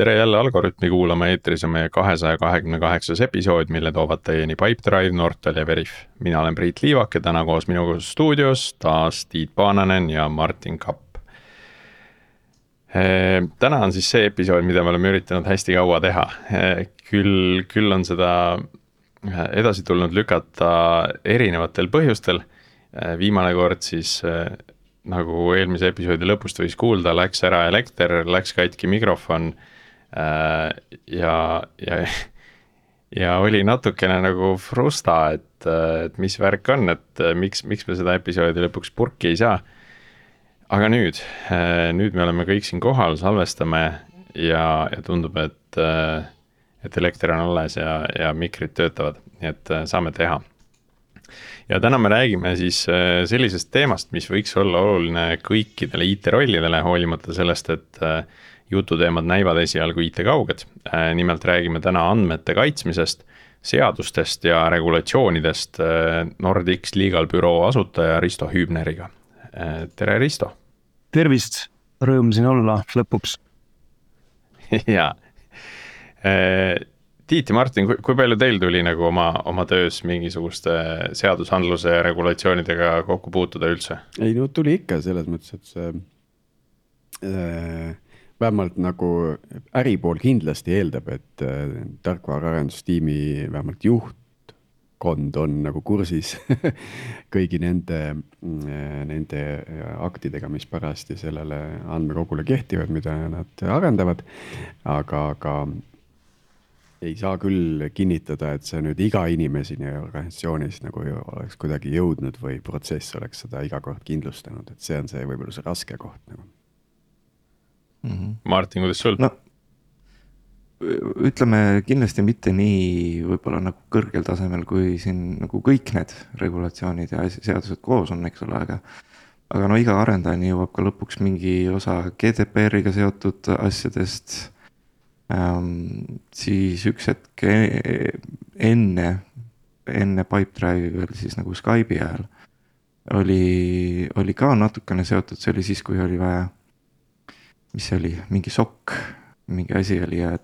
Tere jälle Algorütmi kuulama, eetris on meie 228. episood, mille toovad teieni Pipedrive, Nortal ja Veriff. Mina olen Priit Liivak ja täna koos minuga stuudios taas Tiit Paananen ja Martin Kapp. Täna on siis see episood, mida me oleme üritanud hästi kaua teha. Küll on seda edasi tulnud lükata erinevatel põhjustel. Viimane kord siis nagu eelmise episoodi lõpust võis kuulda, läks ära elekter, läks katki mikrofon ja oli natukene nagu frusta, et mis värk on, et miks me seda episoodi lõpuks purki ei saa. Aga nüüd me oleme kõik siin kohal, salvestame ja tundub, et elekter on alles ja mikrid töötavad, nii et saame teha. Ja täna me räägime siis sellisest teemast, mis võiks olla oluline kõikidele IT-rollidele, hoolimata sellest, et jututeemad näivad esialgu IT-kauged. Nimelt räägime täna andmete kaitsmisest, seadustest ja regulatsioonidest Nordics Legal Bureau asutaja Risto Hübneriga. Tere Risto! Tervist! Rõõm siin olla lõpuks. Ja Tiit ja Martin, kui palju teil tuli nagu oma töös mingisuguste seadusandluse ja regulatsioonidega kokku puutuda üldse? Ei, no tuli ikka selles mõttes, et see vähemalt nagu äripool kindlasti eeldab, et tarkvaraarendustiimi vähemalt juhtkond on nagu kursis kõigi nende aktidega, mis parasti sellele andmekogule kehtivad, mida nad arendavad, aga ei saa küll kinnitada, et see nüüd iga inimeseni organisatsioonis nagu oleks kuidagi jõudnud või protsess oleks seda iga kord kindlustanud, et see on see võib-olla see raske koht nagu. Martin, kuidas sul? No, ütleme kindlasti mitte nii võib-olla nagu kõrgel tasemel, kui siin nagu kõik need regulatsioonid ja seadused koos on, eks ole, aga no iga arendajani jõuab ka lõpuks mingi osa GDPR-iga seotud asjadest. Siis üks hetk enne Pipedrive veel siis nagu Skype'i ajal oli ka natukene seotud, see oli siis, kui oli vaja, mis see oli, mingi SOC, mingi asi oli ja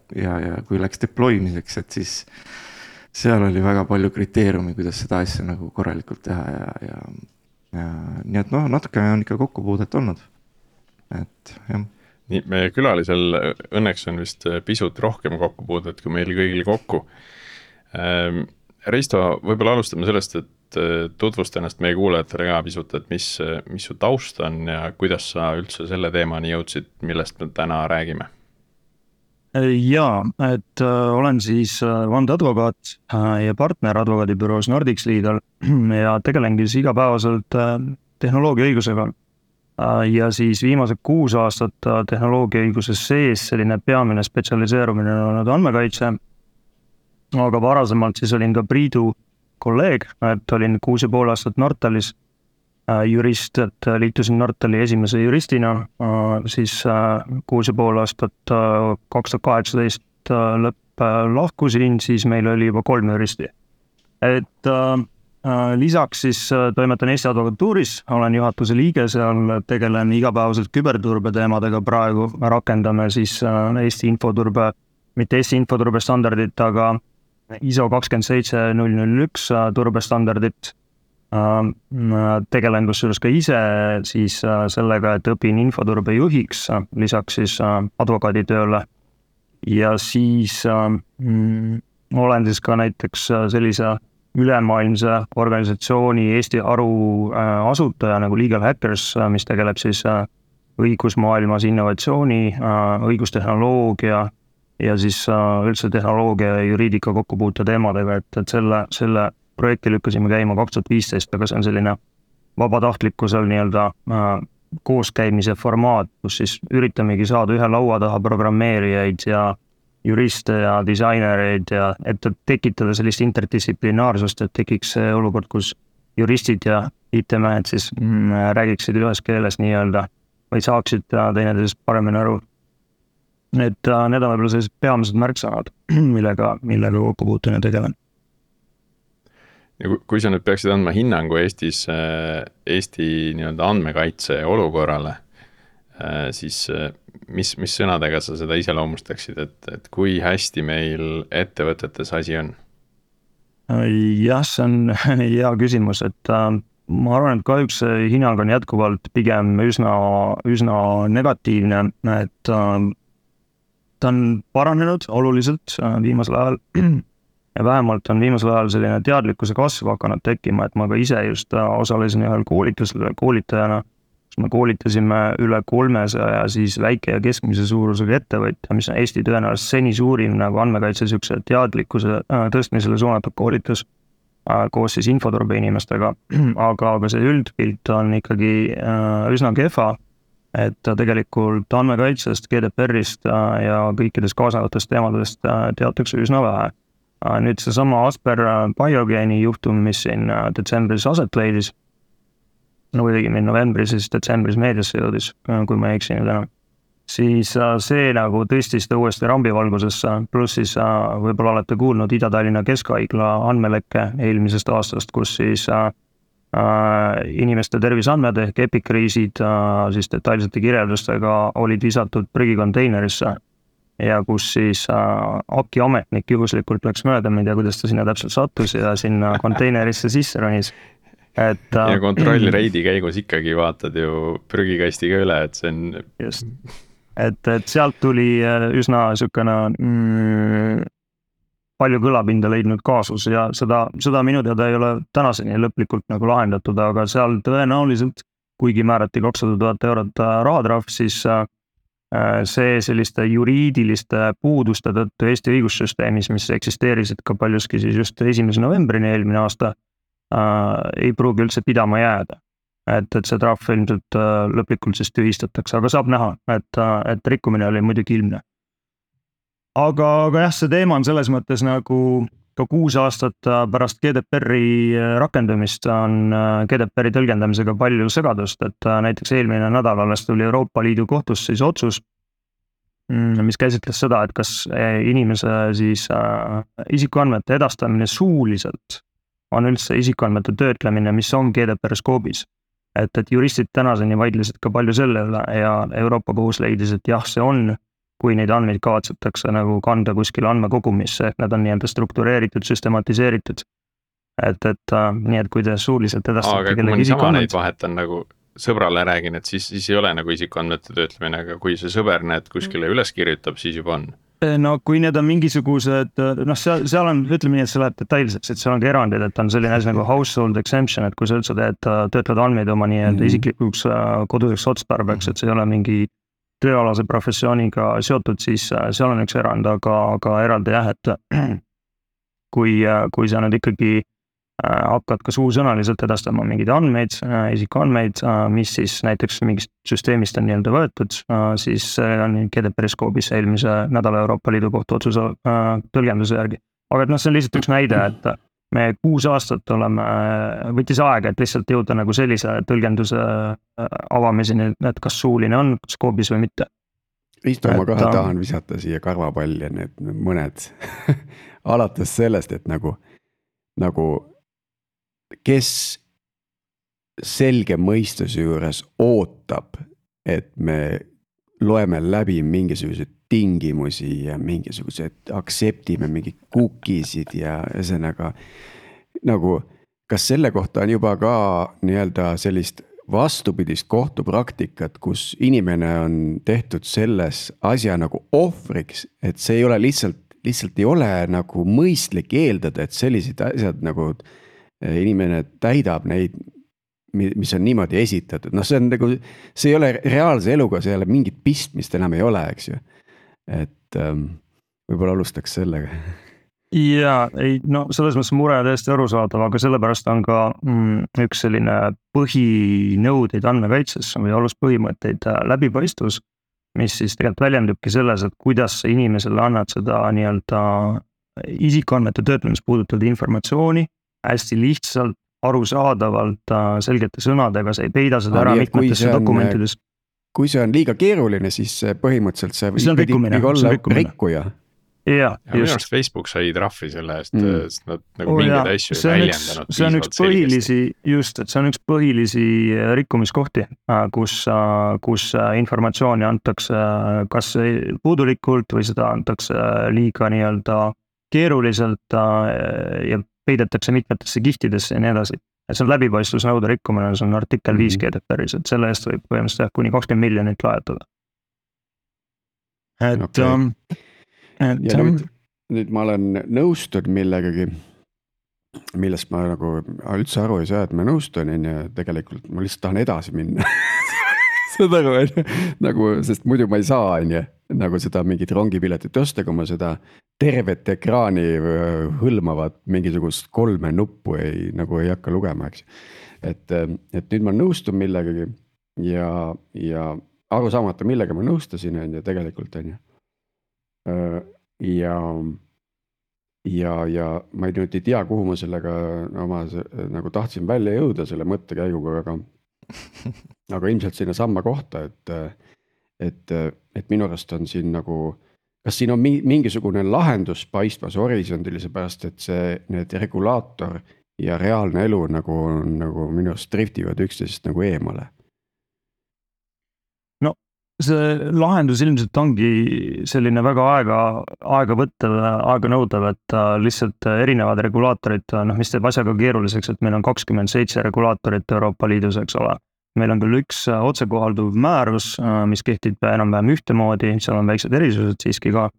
kui läks deploymiseks, et siis seal oli väga palju kriteeriumi, kuidas seda asja nagu korralikult teha ja nii et noh, natukene on ikka kokkupuudet olnud, et jah. Nii, meie külalisel õnneks on vist pisut rohkem kokkupuudet kui meil kõigil kokku. Risto, võib-olla alustame sellest, et tutvusta ennast meie kuulajatele ka pisut, et mis su taust on ja kuidas sa üldse selle teemani jõudsid, millest me täna räägime? Jaa, et olen siis vandeadvokaat ja partner advokaadibüroos Nordics Legal ja tegelengi siis igapäevaselt tehnoloogia õigusega. Ja siis viimased 6 aastat tehnoloogia õiguses sees selline peamine spetsialiseerumine on olnud andmekaitse, aga varasemalt siis olin ka Priidu kolleeg, et olin 6,5 aastat Nortalis jurist, et liitusin Nortali esimese juristina, siis 6,5 aastat 2018 lahkusin, siis meil oli juba 3 juristi. Et lisaks siis toimetan Eesti advokatuuris, olen juhatuse liige, seal tegelen igapäevaselt küberturbe teemadega praegu, rakendame siis Eesti infoturbe, mitte Eesti infoturbe standardit, aga ISO 27001 turbestandardit. Tegelen kusjuures ka ise siis sellega, et õpin infoturbe juhiks, lisaks siis advokaaditööle ja siis olen siis ka näiteks sellise ülemaailmse organisatsiooni Eesti haru asutaja nagu Legal Hackers, mis tegeleb siis õigusmaailmas innovatsiooni, õigustehnoloogia ja siis üldse tehnoloogia ja juriidika kokkupuute teemadega, et selle projekti lükkasime käima 2015, aga see on selline vabatahtlikkusel nii-öelda kooskäimise formaat, kus siis üritamegi saada ühe laua taha programmeerijaid ja juriste ja disainereid ja et tekitada sellist interdistsiplinaarsust, et tekiks see olukord, kus juristid ja IT-mehed siis räägiksid ühes keeles nii-öelda või saaksid teineteisest paremini aru. Et need on võib-olla sellised peamised märksõnad, millega kokkupuutune tegelen. Ja kui sa nüüd peaksid andma hinnangu Eesti nii-öelda andmekaitse olukorrale, siis mis sõnadega sa seda iseloomustaksid, et kui hästi meil ettevõtetes asi on? Jah, see on hea küsimus, et ma arvan, et kahjuks see hinnang on jätkuvalt pigem üsna negatiivne, et ta on paranenud oluliselt viimasel ajal ja vähemalt on viimasel ajal selline teadlikkuse kasv hakanud tekkima, et ma ka ise just osalesin ühel koolitusel koolitajana, kus me koolitasime üle 300 siis väike ja keskmise suurusega ettevõtja, mis on Eesti tõenäoliselt seni suurim nagu andmekaitse niisuguse teadlikkuse tõstmisele suunatud koolitus koos siis infoturbe inimestega, aga see üldpilt on ikkagi üsna kehva, et tegelikult andmekaitsest, GDPR-ist ja kõikidest kaasavatest teemadest teatakse üsna vähe. Nüüd seesama Asper Biogeeni juhtum, mis siin detsembris aset leidis, no õigemini novembris, siis detsembris meediasse jõudis, kui ma ei eksi nüüd enam, siis see nagu tõstis ta uuesti rambivalgusesse, pluss siis võib-olla olete kuulnud Ida-Tallinna Keskhaigla andmelekke eelmisest aastast, kus siis inimeste terviseandmed ehk epikriisid siis detailsete kirjeldustega olid visatud prügikonteinerisse ja kus siis AKI ametnik juhuslikult läks mööda, ma ei tea, kuidas ta sinna täpselt sattus ja sinna konteinerisse sisse ronis. Ja kontrollreidi käigus ikkagi vaatad ju prügikastiga üle, et see on... Just. Et sealt tuli üsna niisugune palju kõlapinda leidnud kaasus ja seda minu teada ei ole tänaseni lõplikult nagu lahendatud, aga seal tõenäoliselt, kuigi määrati 200 000 eurot rahatrahv, siis see selliste juriidiliste puuduste tõttu Eesti õigussüsteemis, mis eksisteerisid ka paljuski siis just 1. novembrini eelmine aasta, ei pruugi üldse pidama jääda. Et see trahv ilmselt lõplikult siis tühistatakse, aga saab näha, et rikkumine oli muidugi ilmne. Aga jah, see teema on selles mõttes nagu ka 6 aastat pärast GDPR-i rakendumist on GDPR-i tõlgendamisega palju segadust, et näiteks eelmine nädal alles tuli Euroopa Liidu kohtust siis otsus, mis käsitles seda, et kas inimese siis isikuandmete edastamine suuliselt on üldse isikuandmete töötlemine, mis on GDPR skoobis. Et juristid tänaseni vaidlesid ka palju selle üle ja Euroopa kohus leidis, et jah, see on, kui neid andmeid kavatsetakse nagu kanda kuskile andmekogumisse, need on nii-öelda struktureeritud, süstematiseeritud. Et nii, et kui te suuliselt edastate kellegi isikuandmeid vahetan nagu sõbrale räägin, et siis ei ole nagu isikuandmete töötlemine, aga kui see sõber need kuskile üles kirjutab, siis juba on. No kui need on mingisugused, seal on, ütleme nii, et see läheb detailseks, et seal on ka erandid, et on selline asi nagu household exemption, et kui sa üldse töötled andmeid oma nii-öelda isiklikuks koduseks otstarbeks, et see ei ole mingi tööalase professiooniga seotud, siis seal on üks erand, aga eraldi jah, et kui sa nüüd ikkagi hakkad ka suusõnaliselt edastama mingeid andmeid, isikuandmeid, mis siis näiteks mingist süsteemist on nii-öelda võetud, siis on GDPR skoobis eelmise nädala Euroopa Liidu kohtu otsuse tõlgenduse järgi. Aga see on lihtsalt üks näide, et me 6 aastat võttis aega, et lihtsalt jõuda nagu sellise tõlgenduse avamiseni, et kas suuline on skoobis või mitte. Ma kohe tahan visata siia karvapalli need mõned alates sellest, et nagu kes selge mõistuse juures ootab, et me loeme läbi mingisuguseid tingimusi ja mingisugused aktseptime mingid cookiesid ja ühesõnaga nagu, kas selle kohta on juba ka nii-öelda sellist vastupidist kohtupraktikat, kus inimene on tehtud selles asja nagu ohvriks, et see ei ole lihtsalt ei ole nagu mõistlik eeldada, et sellised asjad nagu inimene täidab neid, mis on niimoodi esitatud. See on nagu, see ei ole reaalse eluga, see ei ole mingit pistmist enam ei ole, eks ju. Et võib-olla alustaks sellega. Ja, selles mõttes mure täiesti arusaadav, aga sellepärast on ka üks selline põhinõudeid andmekaitses või aluspõhimõtteid läbipaistvus, mis siis tegelikult väljendubki selles, et kuidas sa inimesele annad seda nii-öelda isikuandmete töötlemist puudutavat informatsiooni hästi lihtsalt, arusaadavalt, selgete sõnadega, sa ei peida seda ära mitmetesse dokumentides. Kui see on liiga keeruline, siis põhimõtteliselt see võib olla rikkuja. jah, ja minu just. arust Facebook sai trahvi selle eest, sest nad nagu Oo, mingeid jaa. asju ei See on väljendanud see on üks piisavalt selgesti. põhilisi, just, et see on üks põhilisi rikkumiskohti, kus informatsiooni antakse kas puudulikult või seda antakse liiga nii-öelda keeruliselt ja peidetakse mitmetesse kihtidesse ja nii edasi. Et see on läbipaistvusnõude rikkumine, see on artikkel 5 GDPR-is, et selle eest võib põhimõtteliselt kuni 20 miljonit lajatada. Et, Okei. Ja nüüd ma olen nõustud millegagi, millest ma nagu üldse aru ei saa, et ma nõustun ja tegelikult ma lihtsalt tahan edasi minna. Saad aru, nagu, sest muidu ma ei saa, nagu seda mingit rongipiletit osta, kui ma seda tervet ekraani hõlmavat mingisugust 3 nuppu nagu ei hakka lugema, eks. Et nüüd ma nõustun millegagi ja aru saamata, millega ma nõustasin, ja tegelikult on ju. Ja ma nüüd ei tea, kuhu ma sellega oma nagu tahtsin välja jõuda selle mõttekäiguga, aga ilmselt sinna samma kohta, et minu arust on siin nagu, kas siin on mingisugune lahendus paistmas horisondilise pärast, et need regulaator ja reaalne elu nagu minu arust driftivad üksteisest nagu eemale. See lahendus ilmselt ongi selline väga aega võttev, aega nõudev, et lihtsalt erinevad regulaatorid, mis teeb asjaga keeruliseks, et meil on 27 regulaatorit Euroopa Liidus, eks ole. Meil on küll üks otsekohalduv määrus, mis kehtib enam-vähem ühtemoodi, seal on väiksed erisused siiski ka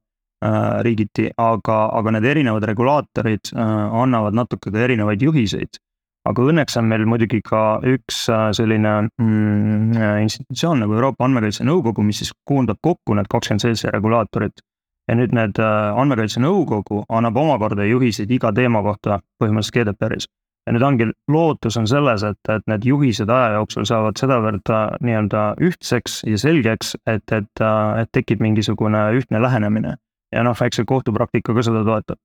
riigiti, aga need erinevad regulaatorid annavad natuke ka erinevaid juhiseid. Aga õnneks on meil muidugi ka üks selline institutsioon nagu Euroopa Andmekaitse Nõukogu, mis siis koondab kokku need 27 regulaatorit. Ja nüüd need Andmekaitse Nõukogu annab omakorda juhiseid iga teema kohta põhimõtteliselt GDPR-is. Ja nüüd ongi lootus on selles, et need juhised aja jooksul saavad sedavõrd nii-öelda ühtseks ja selgeks, et tekib mingisugune ühtne lähenemine. Ja eks see kohtupraktika ka seda toetab.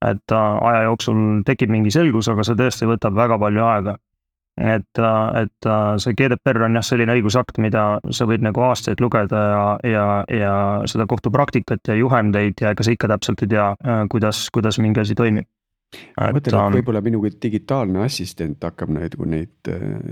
Et aja jooksul tekib mingi selgus, aga see tõesti võtab väga palju aega. Et see GDPR on selline õigusakt, mida sa võid nagu aastaid lugeda ja seda kohtupraktikat ja juhendeid ja ega sa ikka täpselt ei tea, kuidas mingi asi toimib. Mõtlen, et võib-olla minu digitaalne assistent hakkab neid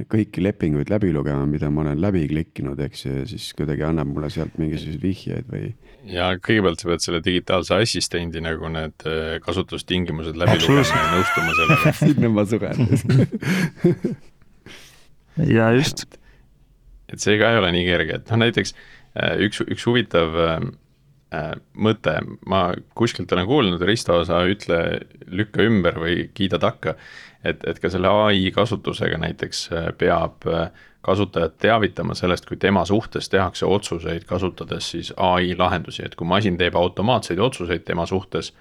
kõiki lepinguid läbi lugema, mida ma olen läbi klikkinud, eks, ja siis kuidagi annab mulle sealt mingisuguseid vihjeid või. Ja kõigepealt sa pead selle digitaalse assistendi nagu need kasutustingimused läbi lugema ja nõustuma sellega. Sinna ma suren. Ja just. Et see ka ei ole nii kerge, et näiteks üks huvitav mõte, ma kuskilt olen kuulnud, Risto, sa ütle lükka ümber või kiida takka, et ka selle AI kasutusega näiteks peab kasutajad teavitama sellest, kui tema suhtes tehakse otsuseid kasutades siis AI lahendusi, et kui masin teeb automaatseid otsuseid tema suhtes,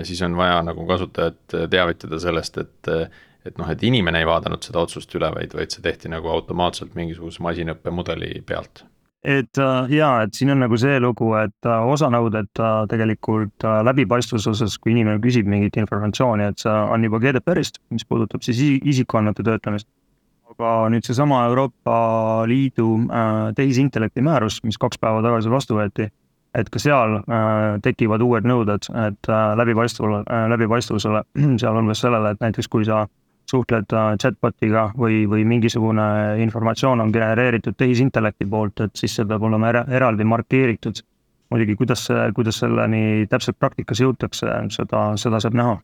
siis on vaja nagu kasutajat teavitada sellest, et inimene ei vaadanud seda otsust üle, vaid see tehti nagu automaatselt mingisuguse masinõppemudeli pealt. Et siin on nagu see lugu, et osa nõuded tegelikult läbipaistvuse osas, kui inimene küsib mingit informatsiooni, et see on juba GDPR-ist, mis puudutab siis isikuandmete töötlemist. Aga nüüd see sama Euroopa Liidu tehisintellekti määrus, mis 2 päeva tagasi vastu võeti, et ka seal tekivad uued nõuded, et läbipaistvusele seal on sellele, et näiteks kui sa suhtled chatbotiga või mingisugune informatsioon on genereeritud tehisintellekti poolt, et siis see peab olema eraldi markeeritud. Muidugi, kuidas selleni täpselt praktikas jõutakse, seda saab näha.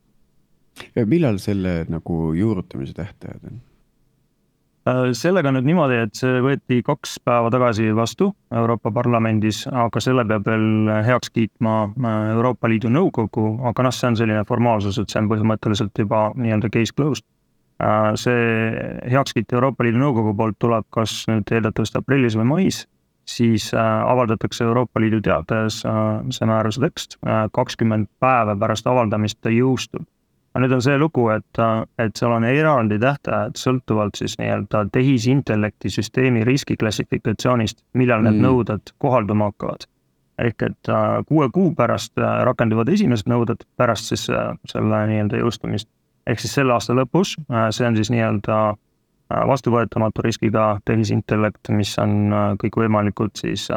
Ja millal selle nagu juurutamise tähtajad on? Sellega nüüd niimoodi, et see võeti 2 päeva tagasi vastu Euroopa Parlamendis, aga selle peab veel heaks kiitma Euroopa Liidu Nõukogu, aga see on selline formaalsus, et see on põhimõtteliselt juba nii-öelda case closed. See heakskiit Euroopa Liidu Nõukogu poolt tuleb kas nüüd eeldatavasti aprillis või mais, siis avaldatakse Euroopa Liidu teates see määruse tekst, 20 päeva pärast avaldamist ta jõustub. Nüüd on see lugu, et seal on eraldi tähtajad sõltuvalt siis nii-öelda tehisintellekti süsteemi riskiklassifikatsioonist, millal need nõuded kohalduma hakkavad. Ehk et 6 kuu pärast rakenduvad esimesed nõuded pärast siis selle nii-öelda jõustumist. Ehk siis selle aasta lõpus, see on siis nii-öelda vastuvõetamatu riskiga tehisintellekt, mis on kõik võimalikud siis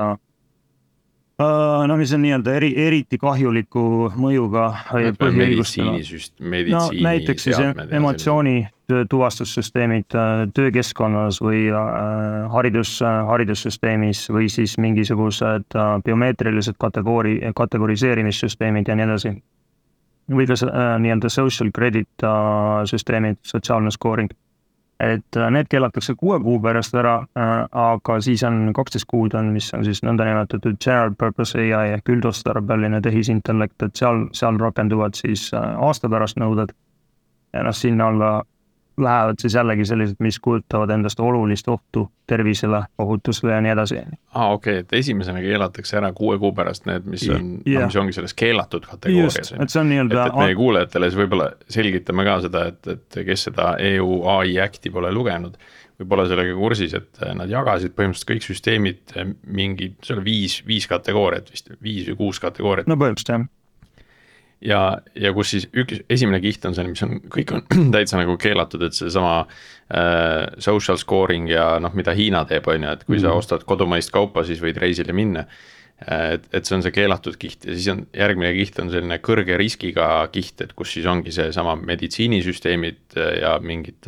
no mis on nii-öelda eriti kahjuliku mõjuga põhiõigustele. meditsiini näiteks siis emotsiooni tuvastussüsteemid töökeskkonnas või haridussüsteemis või siis mingisugused biomeetrilised kategoriseerimissüsteemid ja nii edasi. Või ka nii-öelda social credit süsteemid, sotsiaalne scoring. Et need keelatakse 6 kuu pärast ära, aga siis on 12 kuud on, mis on siis nõndanimetatud general purpose AI ehk üldotstarbeline tehisintellekt, et seal rakenduvad siis aasta pärast nõuded. Ja sinna alla lähevad siis jällegi sellised, mis kujutavad endast olulist ohtu tervisele, ohutusele ja nii edasi. Okei, et esimesena keelatakse ära 6 kuu pärast need, mis ongi selles keelatud kategoorias. Just, et see on nii-öelda... Et meie kuulajatele siis võib-olla selgitame ka seda, et kes seda EU AI Acti pole lugenud, võib-olla sellega kursis, et nad jagasid põhimõtteliselt kõik süsteemid mingi, see oli 5 kategooriat vist, 5 või 6 kategooriat. No põhimõtteliselt jah. Ja kus siis esimene kiht on see, mis on, kõik on täitsa nagu keelatud, et see sama social scoring ja mida Hiina teeb, on ju, et kui sa ostad kodumaist kaupa, siis võid reisile minna. Et see on see keelatud kiht ja siis on järgmine kiht on selline kõrge riskiga kiht, et kus siis ongi see sama meditsiinisüsteemid ja mingid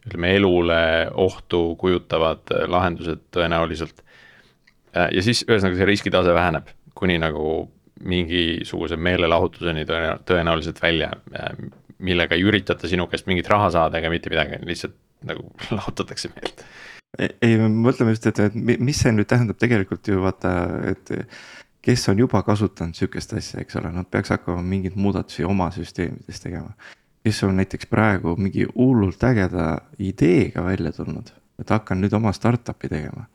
elule ohtu kujutavad lahendused tõenäoliselt. Ja siis ühesõnaga see riskitase väheneb, kuni nagu mingisuguse meelelahutuseni tõenäoliselt välja, millega ei üritata sinu käest mingit raha saada ega mitte midagi, lihtsalt nagu lahutatakse meelt. Ei, mõtleme just, et mis see nüüd tähendab tegelikult ju vaata, et kes on juba kasutanud sükest asja, eks ole, nad peaks hakkama mingid muudatusi oma süsteemides tegema. Kes on näiteks praegu mingi hullult ägeda ideega välja tulnud, et hakkan nüüd oma startupi tegema.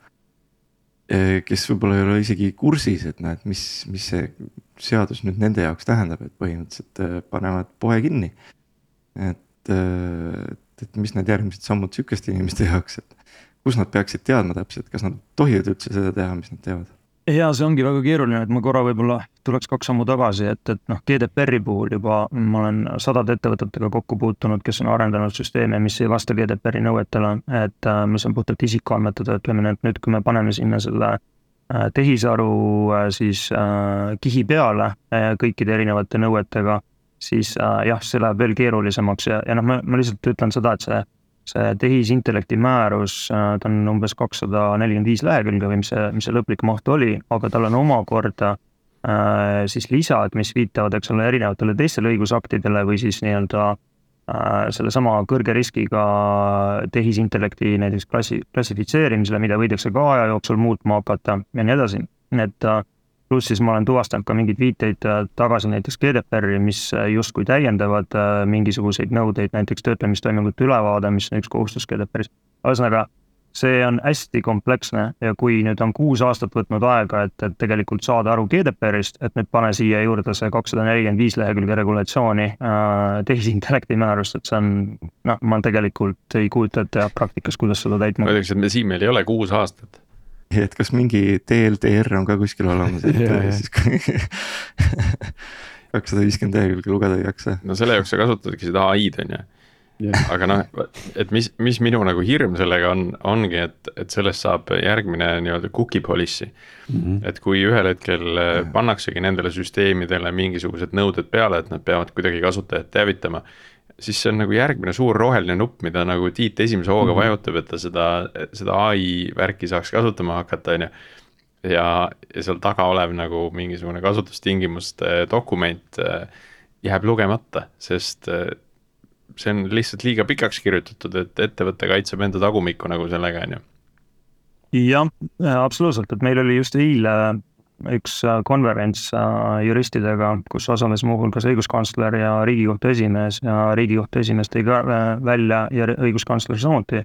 Kes võib-olla ei ole isegi kursis, et näed, mis see seadus nüüd nende jaoks tähendab, et põhimõtteliselt panevad poe kinni. Et mis need järgmised sammud sükeste inimeste jaoks, et kus nad peaksid teadma täpselt, kas nad tohivad üldse seda teha, mis nad teevad? Ja see ongi väga keeruline, et ma korra võib-olla tuleks 2 sammu tagasi, et GDPR-i puhul juba ma olen 100 ettevõtetega kokku puutunud, kes on arendanud süsteeme, mis ei vasta GDPR-i nõuetele, et mis on puhtalt isikuandmete töötlemine, et nüüd kui me paneme sinna selle tehisaru siis kihi peale kõikide erinevate nõuetega, siis jah, see läheb veel keerulisemaks ja ma lihtsalt ütlen seda, et see tehisintellekti määrus, ta on umbes 245 lehekülge või mis see lõplik maht oli, aga tal on omakorda siis lisad, mis viitavad, eks ole, erinevatele teistele õigusaktidele või siis nii-öelda selle sama kõrge riskiga tehisintellekti näiteks klassifitseerimisele, mida võidakse ka aja jooksul muutma hakata ja nii edasi. Et pluss siis ma olen tuvastanud ka mingid viiteid tagasi näiteks GDPR-i, mis justkui täiendavad mingisuguseid nõudeid, näiteks töötlemistoimingute ülevaade, mis on üks kohustus GDPR-is. Ühesõnaga, see on hästi kompleksne ja kui nüüd on 6 aastat võtnud aega, et tegelikult saada aru GDPR-ist, et nüüd pane siia juurde see 245 lehekülge regulatsiooni tehisintellekti määrust, et see on, ma tegelikult ei kujuta ette praktikas, kuidas seda täitma. Ma ütleks, et siin meil ei ole 6 aastat. Et kas mingi TLDR on ka kuskil olemas, et siis 250 lehekülge lugeda ei jaksa. No selle jaoks sa kasutadki seda AI-d, on ju. Aga et mis minu nagu hirm sellega ongi, et sellest saab järgmine nii-öelda cookie policy. Et kui ühel hetkel pannaksegi nendele süsteemidele mingisugused nõuded peale, et nad peavad kuidagi kasutajat teavitama, siis see on nagu järgmine suur roheline nupp, mida nagu Tiit esimese hooga vajutab, et ta seda AI värki saaks kasutama hakata, on ju. Ja seal taga olev nagu mingisugune kasutustingimuste dokument jääb lugemata, sest see on lihtsalt liiga pikaks kirjutatud, et ettevõtte kaitseb enda tagumikku nagu sellega, on ju. Jah, absoluutselt, et meil oli just eile üks konverents juristidega, kus osales muuhulgas õiguskantsler ja Riigikohtu esimees ja Riigikohtu esimees tõi ka välja ja õiguskantsler samuti,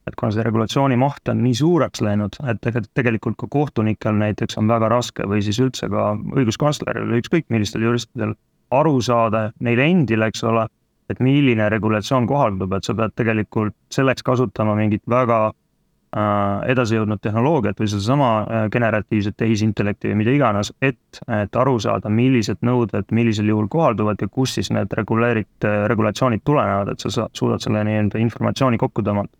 et kuna see regulatsiooni maht on nii suureks läinud, et tegelikult ka kohtunikel näiteks on väga raske või siis üldse ka õiguskantsleril, ükskõik millistel juristidel aru saada neile endile, eks ole, et milline regulatsioon kohaldub, et sa pead tegelikult selleks kasutama mingit väga edasi jõudnud tehnoloogiat või sedasama generatiivset tehisintellekti või mida iganes, et aru saada, millised nõuded millisel juhul kohalduvad ja kus siis need regulatsioonid tulenevad, et sa suudad selle nii-öelda informatsiooni kokku tõmmata.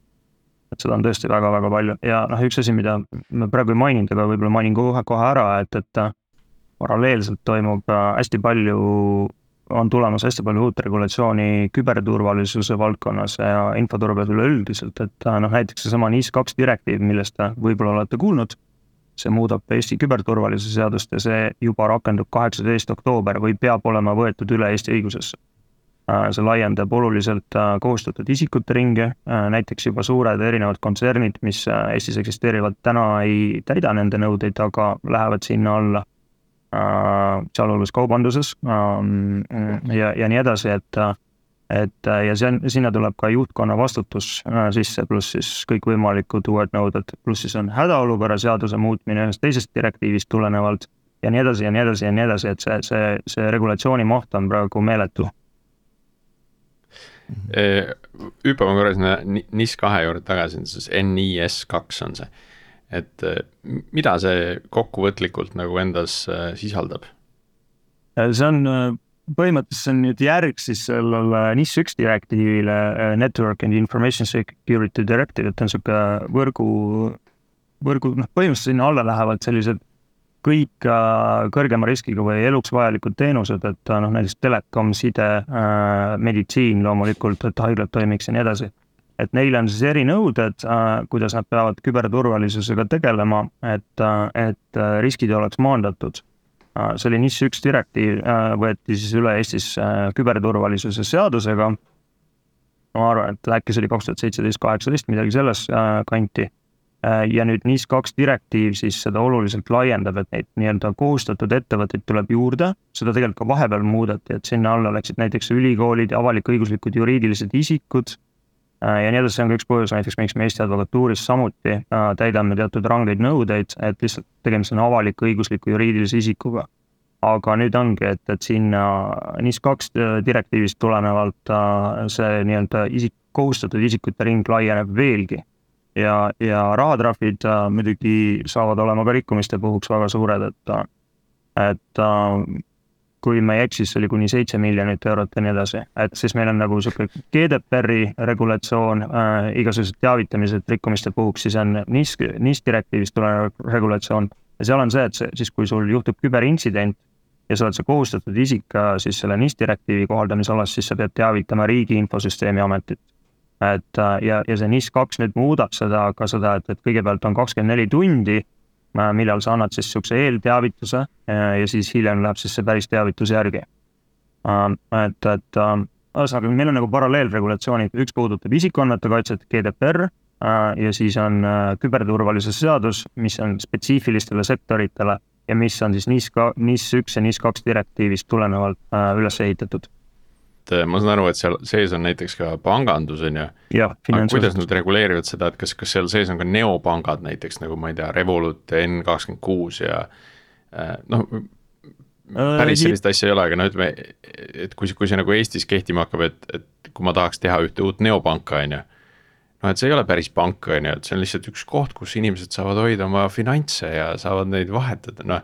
Et seda on tõesti väga-väga palju ja üks asi, mida ma praegu ei maininud, aga võib-olla mainin kohe ära, et paralleelselt toimub hästi palju, on tulemas hästi palju uut regulatsiooni küberturvalisuse valdkonnas ja infoturbes üleüldiselt, et näiteks seesama NIS2 direktiiv, millest te võib-olla olete kuulnud, see muudab Eesti küberturvalisuse seadust ja see juba rakendub 18. oktoober või peab olema võetud üle Eesti õigusesse. See laiendab oluliselt kohustatud isikute ringi, näiteks juba suured erinevad kontsernid, mis Eestis eksisteerivad täna ei täida nende nõudeid, aga lähevad sinna alla, sealhulgas kaubanduses ja nii edasi, et ja sinna tuleb ka juhtkonna vastutus sisse, pluss siis kõikvõimalikud uued nõuded, pluss siis on hädaolukorra seaduse muutmine ühest teisest direktiivist tulenevalt ja nii edasi ja nii edasi ja nii edasi, et see regulatsiooni maht on praegu meeletu. Hüppame korra sinna NIS2 juurde tagasi, siis NIS2 on see, et mida see kokkuvõtlikult nagu endas sisaldab? See on põhimõtteliselt see on nüüd järg siis sellele NIS1 direktiivile, Network and Information Security Directive, et on siuke võrgu, põhimõtteliselt sinna alla lähevad sellised kõik kõrgema riskiga või eluks vajalikud teenused, et näiteks telekom, side, meditsiin loomulikult, et haiglad toimiks ja nii edasi. Et neile on siis erinõuded, kuidas nad peavad küberturvalisusega tegelema, et riskid oleks maandatud. See oli NIS1 direktiiv, võeti siis üle Eestis küberturvalisuse seadusega. Ma arvan, et äkki see oli 2017-2018, midagi selles kanti. Ja nüüd NIS2 direktiiv siis seda oluliselt laiendab, et neid nii-öelda kohustatud ettevõtteid tuleb juurde, seda tegelikult ka vahepeal muudeti, et sinna alla läksid näiteks ülikoolid ja avalik-õiguslikud juriidilised isikud ja nii edasi, see on ka üks põhjus näiteks, miks me Eesti advokatuuris samuti täidame teatud rangeid nõudeid, et lihtsalt tegemist on avalik-õigusliku juriidilise isikuga. Aga nüüd ongi, et sinna NIS2 direktiivist tulenevalt see nii-öelda kohustatud isikute ring laieneb veelgi. Ja rahatrahvid muidugi saavad olema ka rikkumiste puhuks väga suured, et kui me ei eksi, siis oli kuni 7 miljonit eurot ja nii edasi, et siis meil on nagu siuke GDPR-i regulatsioon, igasugused teavitamised rikkumiste puhuks, siis on NIS direktiivist tulenev regulatsioon ja seal on see, et siis kui sul juhtub küberintsident ja sa oled see kohustatud isik siis selle NIS direktiivi kohaldamisalas, siis sa pead teavitama Riigi Infosüsteemi Ametit. Et ja see NIS2 nüüd muudab seda, et kõigepealt on 24 tundi, millal sa annad siis siukse eelteavituse ja siis hiljem läheb siis see päris teavitus järgi. Ühesõnaga, meil on nagu paralleelregulatsioonid, üks puudutab isikuandmete kaitset GDPR ja siis on küberturvalisuse seadus, mis on spetsiifilistele sektoritele ja mis on siis NIS1 ja NIS2 direktiivist tulenevalt üles ehitatud. Ma saan aru, et seal sees on näiteks ka pangandus, on ju. Aga kuidas nüüd reguleerivad seda, et kas seal sees on ka neopangad näiteks, nagu ma ei tea, Revolut, N26 ja päris sellist asja ei ole, aga ütleme, et kui see nagu Eestis kehtima hakkab, et kui ma tahaks teha ühte uut neopanka, on ju, et see ei ole päris pank, on ju, et see on lihtsalt üks koht, kus inimesed saavad hoida oma finantse ja saavad neid vahetada,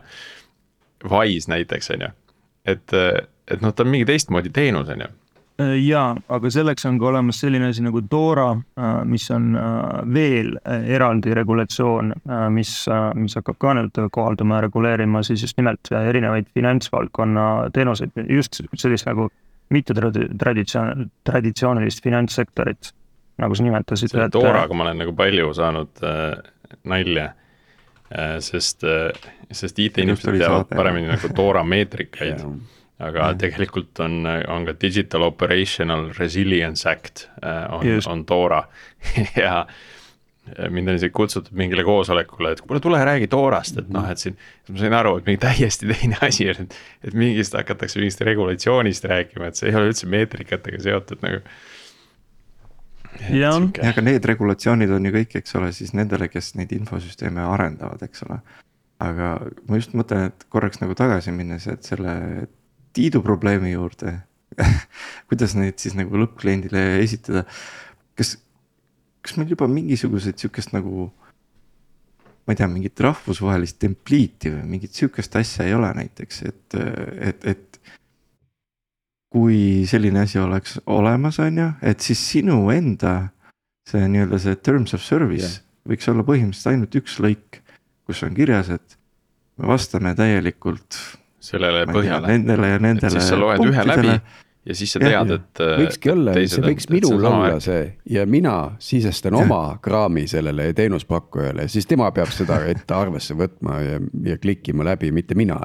Wise näiteks, on ju. Et ta on mingi teistmoodi teenus, on ju. Jaa, aga selleks on ka olemas selline asi nagu DORA, mis on veel eraldi regulatsioon, mis hakkab ka nüüd kohalduma ja reguleerima siis just nimelt erinevaid finantsvaldkonna teenuseid, just sellist nagu mitte traditsioonilist finantssektorit, nagu sa nimetasid. Selle DORAga ma olen nagu palju saanud nalja, sest IT-inimesed teavad paremini nagu DORA meetrikaid. Aga tegelikult on ka Digital Operational Resilience Act on DORA ja mind on isegi kutsutud mingile koosolekule, et tule räägi DORAst, et et siin ma sain aru, et mingi täiesti teine asi, et mingist hakatakse mingist regulatsioonist rääkima, et see ei ole üldse meetrikatega seotud nagu. Ja, aga need regulatsioonid on ju kõik, eks ole, siis nendele, kes neid infosüsteeme arendavad, eks ole. Aga ma just mõtlen, et korraks nagu tagasi minnes, et selle Tiidu probleemi juurde, kuidas neid siis nagu lõppkliendile esitada. Kas meil juba mingisugused siukest nagu, ma ei tea, mingit rahvusvahelist templiiti või mingit siukest asja ei ole näiteks, et kui selline asi oleks olemas, on ju, et siis sinu enda see nii-öelda see terms of service võiks olla põhimõtteliselt ainult üks lõik, kus on kirjas, et me vastame täielikult sellele põhjale. Nendele ja nendele. Siis sa loed ühe läbi ja siis sa tead, et võikski olla, see võiks minul olla see ja mina sisestan oma kraami sellele teenuspakkujale, siis tema peab seda ette arvesse võtma ja klikkima läbi, mitte mina.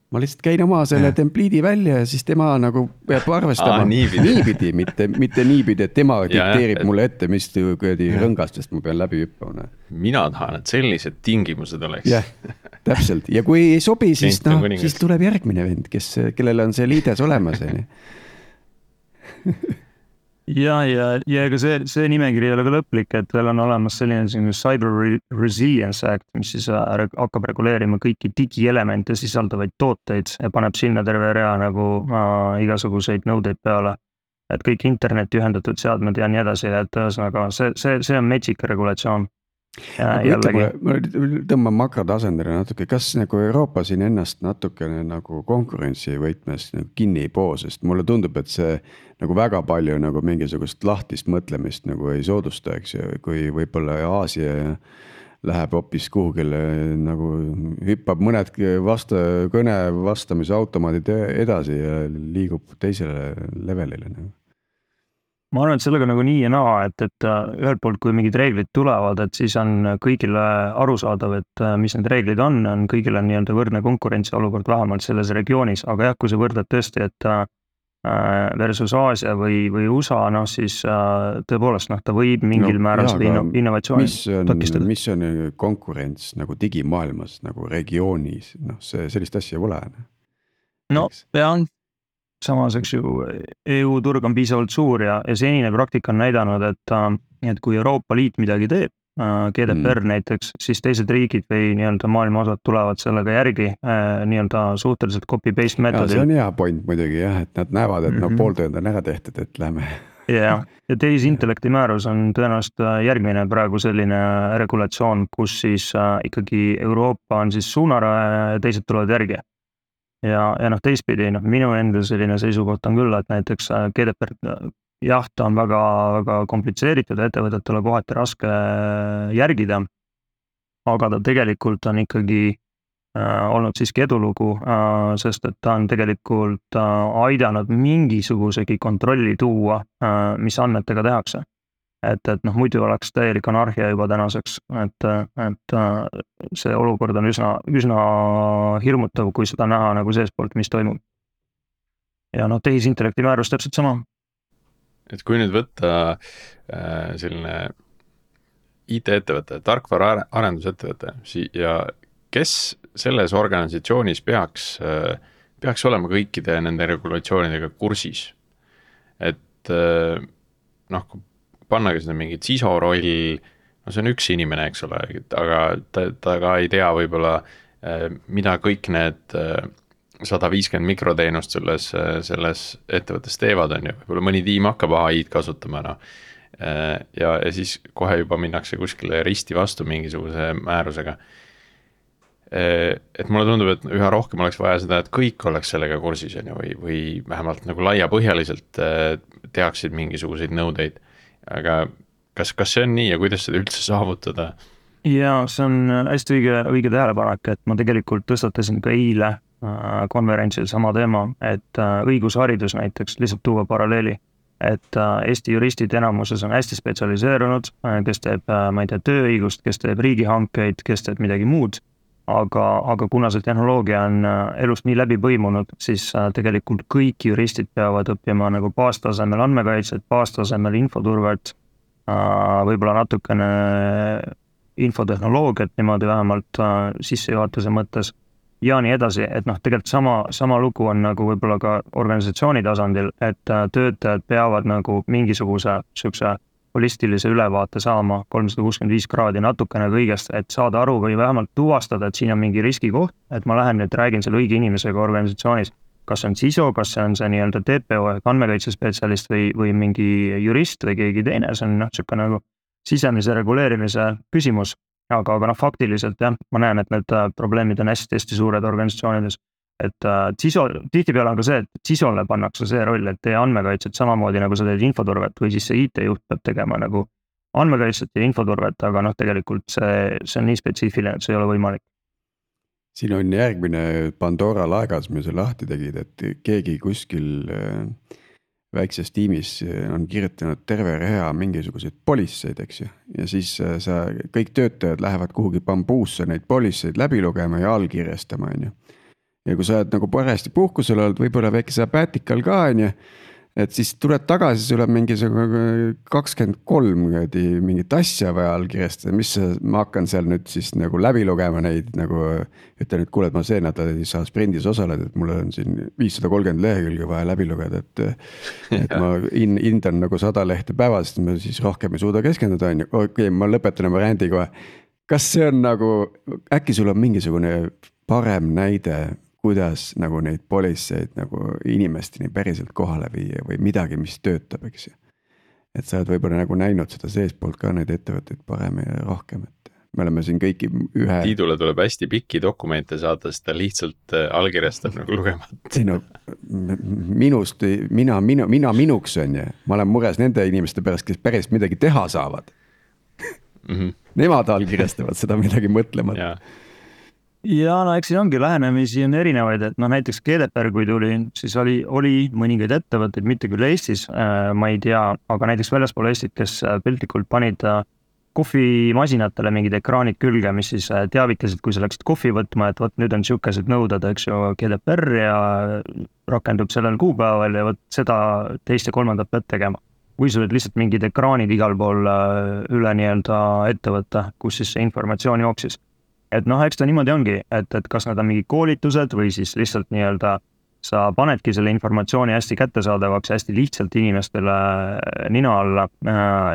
Ma lihtsalt käin oma selle templiidi välja ja siis tema nagu peab arvestama niipidi, mitte niipidi, et tema dikteerib mulle ette, mis rõngastest ma pean läbi hüppama. Mina tahan, et sellised tingimused oleks. Jah, täpselt. Ja kui ei sobi, siis, siis tuleb järgmine vend, kellele on see liides olemas. ja ega see nimekiri ei ole ka lõplik, et veel on olemas selline Cyber Resilience Act, mis siis hakkab reguleerima kõiki digielemente sisaldavaid tooteid ja paneb sinna terve rea nagu igasuguseid nõudeid peale. Et kõik interneti ühendatud seadmed ja nii edasi, et ühesõnaga see on metsik regulatsioon. Ma tõmban makrotasandile natuke, kas nagu Euroopa siin ennast natukene nagu konkurentsi võitmes nagu kinni ei poo, sest mulle tundub, et see nagu väga palju nagu mingisugust lahtist mõtlemist nagu ei soodusta, eks ju, kui võib-olla Aasia läheb hoopis kuhugile nagu hüppab mõned kõne vastamise automaadid edasi ja liigub teisele levelile nagu. Ma arvan, et sellega nagu nii ja naa, et ühelt poolt, kui mingid reeglid tulevad, et siis on kõigile arusaadav, et mis need reeglid on kõigile nii-öelda võrdne konkurentsiolukord vähemalt selles regioonis, aga jah, kui sa võrdled tõesti, et versus Aasia või USA, siis tõepoolest ta võib mingil määral seda innovatsiooni takistada. Mis on konkurents nagu digimaailmas, nagu regioonis, sellist asja pole. Pean. Samas, eks ju, EU turg on piisavalt suur ja senine praktika on näidanud, et kui Euroopa Liit midagi teeb, GDPR näiteks, siis teised riigid või nii-öelda maailma osad tulevad sellega järgi nii-öelda suhteliselt copy-paste meetodil. See on hea point muidugi jah, et nad näevad, et pooltööd on ära tehtud, et lähme. Ja tehisintellekti määrus on tõenäoliselt järgmine praegu selline regulatsioon, kus siis ikkagi Euroopa on siis suunaraja ja teised tulevad järgi. Ja teistpidi, minu enda selline seisukoht on küll, et näiteks GDPR, jah, ta on väga, väga komplitseeritud ja ettevõtetele kohati raske järgida, aga ta tegelikult on ikkagi olnud siiski edulugu, sest et ta on tegelikult aidanud mingisugusegi kontrolli tuua, mis andmetega tehakse. Et muidu oleks täielik anarhia juba tänaseks, et see olukord on üsna hirmutav, kui seda näha nagu seespoolt, mis toimub. Ja tehisintellekti määrus täpselt sama. Et kui nüüd võtta selline IT-ettevõte, tarkvara arendusettevõte ja kes selles organisatsioonis peaks olema kõikide nende regulatsioonidega kursis, et kui pannagi seda mingit CISO roll, see on üks inimene, eks ole, aga ta ka ei tea võib-olla, mida kõik need 150 mikroteenust selles ettevõttes teevad, on ju, võib-olla mõni tiim hakkab AI-d kasutama, ja siis kohe juba minnakse kuskile risti vastu mingisuguse määrusega. Et mulle tundub, et üha rohkem oleks vaja seda, et kõik oleks sellega kursis, on ju, või vähemalt nagu laiapõhjaliselt tehaksid mingisuguseid nõudeid. Aga kas see on nii ja kuidas seda üldse saavutada? Ja see on hästi õige tähelepanek, et ma tegelikult tõstatasin ka eile konverentsil sama teema, et õigusharidus näiteks, lihtsalt tuua paralleeli, et Eesti juristid enamuses on hästi spetsialiseerunud, kes teeb, ma ei tea, tööõigust, kes teeb riigihankeid, kes teeb midagi muud, aga kuna see tehnoloogia on elust nii läbi põimunud, siis tegelikult kõik juristid peavad õppima nagu baastasemel andmekaitset, baastasemel infoturvet, võib-olla natukene infotehnoloogiat niimoodi vähemalt sissejuhatuse mõttes ja nii edasi, et tegelikult sama lugu on nagu võib-olla ka organisatsiooni tasandil, et töötajad peavad nagu mingisuguse sükse holistilise ülevaate saama 365 kraadi natukene kõigest, et saada aru või vähemalt tuvastada, et siin on mingi riskikoht, et ma lähen nüüd räägin selle õige inimesega organisatsioonis, kas see on CISO, kas see on see nii-öelda TPO ehk andmekaitsespetsialist või mingi jurist või keegi teine, see on siuke nagu sisemise reguleerimise küsimus, aga faktiliselt jah, ma näen, et need probleemid on hästi suured organisatsioonides. Et CISO, tihtipeale on ka see, et CISO-le pannakse see roll, et tee andmekaitset samamoodi nagu sa teed infoturvet või siis see IT-juht peab tegema nagu andmekaitset ja infoturvet, aga tegelikult see on nii spetsiifiline, et see ei ole võimalik. siin on järgmine Pandora laegas, mis sa lahti tegid, et keegi kuskil väikses tiimis on kirjutanud terve rea mingisuguseid polisseid, eks ju. Ja siis kõik töötajad lähevad kuhugi bambuusse neid polisseid läbi lugema ja allkirjastama, on ju. Ja kui sa oled nagu parajasti puhkusel olnud, võib-olla väike sabatikal ka, on ju. Et siis tuled tagasi, sul on mingisugune 23 mingit asja vaja allkirjastada, mis ma hakkan seal nüüd siis nagu läbi lugema neid nagu ütlen, et kuule, et ma see nädal ei saa sprindis osaleda, et mul on siin 530 lehekülge vaja läbi lugeda, et ma hindan nagu 100 lehte päevas, et ma siis rohkem ei suuda keskenduda, on ju. Okei, ma lõpetan oma rändi kohe. Kas see on nagu, äkki sul on mingisugune parem näide, kuidas nagu neid polisseid nagu inimesteni päriselt kohale viia või midagi, mis töötab, eks ju. Et sa oled võib-olla nagu näinud seda seespoolt ka neid ettevõtteid parem ja rohkem, et me oleme siin kõiki ühe. Tiidule tuleb hästi pikki dokumente saada, sest ta lihtsalt allkirjastab nagu lugemata. Ei no, minuks on ju, ma olen mures nende inimeste pärast, kes päris midagi teha saavad. Nemad allkirjastavad seda midagi mõtlema. Ja no eks siin ongi lähenemisi on erinevaid, et näiteks GDPR kui tuli, siis oli mõningaid ettevõtteid, mitte küll Eestis, ma ei tea, aga näiteks väljaspool Eestit, kes piltlikult panid kohvimasinatele mingid ekraanid külge, mis siis teavitasid, kui sa läksid kohvi võtma, et võt nüüd on siukesed nõuded, eks ju, GDPR ja rakendub sellel kuupäeval ja võt seda teist ja kolmandat pead tegema. Kui sul olid lihtsalt mingid ekraanid igal pool üle nii-öelda ettevõtte, kus siis see informatsioon jooksis. Et eks ta niimoodi ongi, et kas nad on mingi koolitused või siis lihtsalt nii-öelda sa panedki selle informatsiooni hästi kättesaadavaks, hästi lihtsalt inimestele nina alla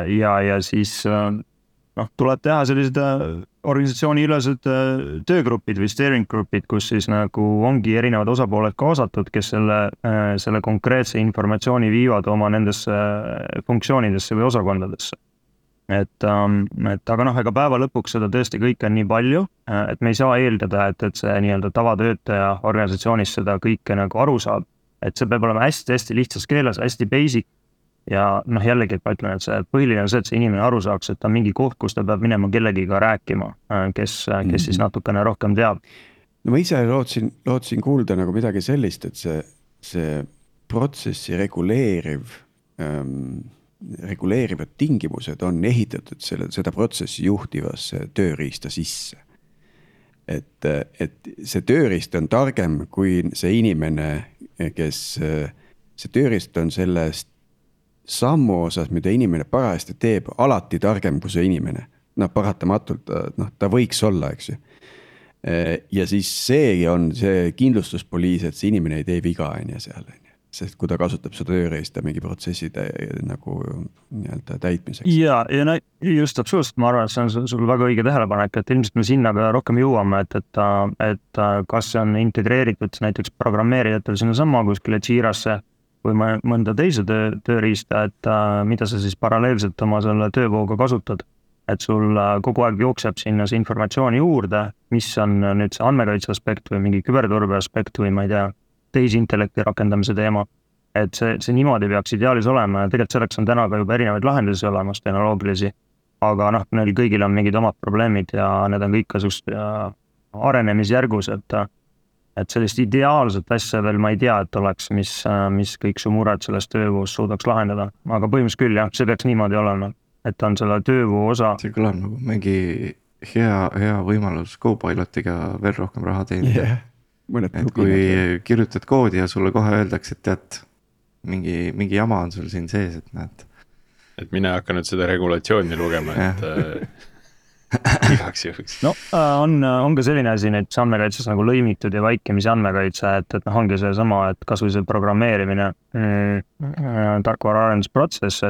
ja siis tuleb teha sellised organisatsiooni ülesed töögrupid või steering grupid, kus siis nagu ongi erinevad osapooled kaasatud, kes selle konkreetse informatsiooni viivad oma nendesse funktsioonidesse või osakondadesse. Et aga ega päeva lõpuks seda tõesti kõike on nii palju, et me ei saa eeldada, et see nii-öelda tavatöötaja organisatsioonis seda kõike nagu aru saab, et see peab olema hästi-hästi lihtsas keeles, hästi basic ja jällegi, et ma ütlen, et see põhiline on see, et see inimene aru saaks, et ta on mingi koht, kus ta peab minema kellegiga rääkima, kes siis natukene rohkem teab. No ma ise lootsin kuulda nagu midagi sellist, et see protsessi reguleerivad tingimused on ehitatud seda protsessi juhtivasse tööriista sisse. Et see tööriist on targem kui see inimene, kes see tööriist on sellest sammu osas, mida inimene parajasti teeb, alati targem kui see inimene. Paratamatult, ta võiks olla, eks ju. Ja siis see on see kindlustuspoliis, et see inimene ei tee viga enne seal. Sest kui ta kasutab seda tööriista mingi protsessi nagu nii-öelda täitmiseks. Ja just absoluutselt, ma arvan, et see on sul väga õige tähelepanek, et ilmselt me sinna ka rohkem jõuame, et kas see on integreeritud näiteks programmeerijatel sinna sama kuskile Jirasse või mõnda teise tööriista, et mida sa siis paralleelselt oma selle töövooga kasutad. Et sul kogu aeg jookseb sinna see informatsiooni juurde, mis on nüüd see andmekaitse aspekt või mingi küberturbe aspekt või ma ei tea, tehisintellekti rakendamise teema, et see niimoodi peaks ideaalis olema ja tegelikult selleks on täna ka juba erinevaid lahendusi olemas, tehnoloogilisi, aga neil kõigil on mingid omad probleemid ja need on kõik ka arenemisjärgus, et sellist ideaalset asja veel ma ei tea, et oleks, mis kõik su mured selles töövoos suudaks lahendada, aga põhimõtteliselt küll jah, see peaks niimoodi olema, et on selle töövoo osa. See kõlab nagu mingi hea võimalus Copilotiga veel rohkem raha teenida. Et kui kirjutad koodi ja sulle kohe öeldakse, et tead, mingi jama on sul siin sees, et näed. Et mine hakka nüüd seda regulatsiooni lugema, et igaks juhuks. On ka selline asi nüüd andmekaitses nagu lõimitud ja vaikimise andmekaitse, et ongi see sama, et kas või see programmeerimine, tarkvara arendusprotsess,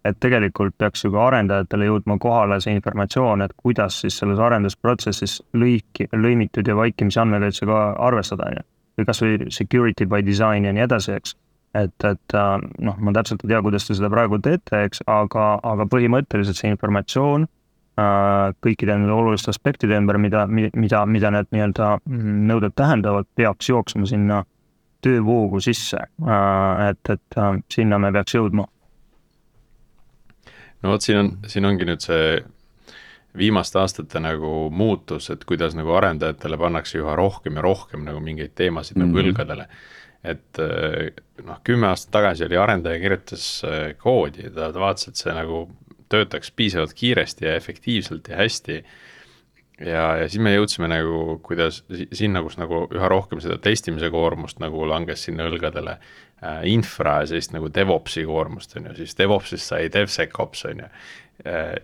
et tegelikult peaks ju ka arendajatele jõudma kohale see informatsioon, et kuidas siis selles arendusprotsessis lõimitud ja vaikimise andmekaitsega arvestada, või kas või security by design ja nii edasi, eks. Et ma täpselt ei tea, kuidas te seda praegu teete, eks, aga põhimõtteliselt see informatsioon kõikide nende oluliste aspektide ümber, mida need nii-öelda nõuded tähendavad, peaks jooksma sinna töövoogu sisse, et sinna me peaks jõudma. No vot, siin ongi nüüd see viimaste aastate nagu muutus, et kuidas nagu arendajatele pannakse üha rohkem ja rohkem nagu mingeid teemasid nagu õlgadele. Et noh, 10 aastat tagasi oli arendaja kirjutas koodi ja ta vaatas, et see nagu töötaks piisavalt kiiresti ja efektiivselt ja hästi. Ja siis me jõudsime nagu, kuidas sinna, kus nagu üha rohkem seda testimise koormust nagu langes sinna õlgadele, infra ja sellist nagu DevOpsi koormust on ju, siis DevOpsist sai DevSecOps on ju.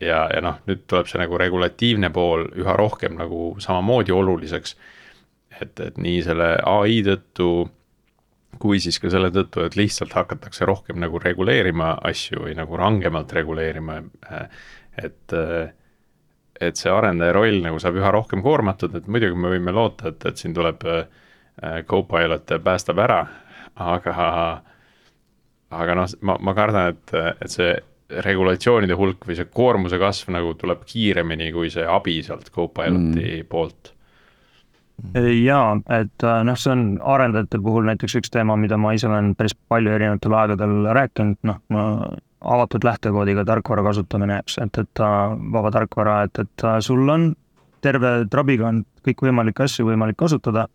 Ja noh, nüüd tuleb see nagu regulatiivne pool üha rohkem nagu samamoodi oluliseks, et nii selle AI tõttu, kui siis ka selle tõttu, et lihtsalt hakatakse rohkem nagu reguleerima asju või nagu rangemalt reguleerima, et see arendaja roll nagu saab üha rohkem koormatud, et muidugi me võime loota, et siin tuleb Copilot päästab ära, aga noh, ma kardan, et see regulatsioonide hulk või see koormuse kasv nagu tuleb kiiremini kui see abi sealt Copiloti poolt. Jaa, et noh, see on arendajate puhul näiteks üks teema, mida ma ise olen päris palju erinevatel aegadel rääkinud, noh, avatud lähtekoodiga tarkvara kasutamine, et vaba tarkvara, et sul on terve trabiga on kõik võimalikke asju võimalik kasutada,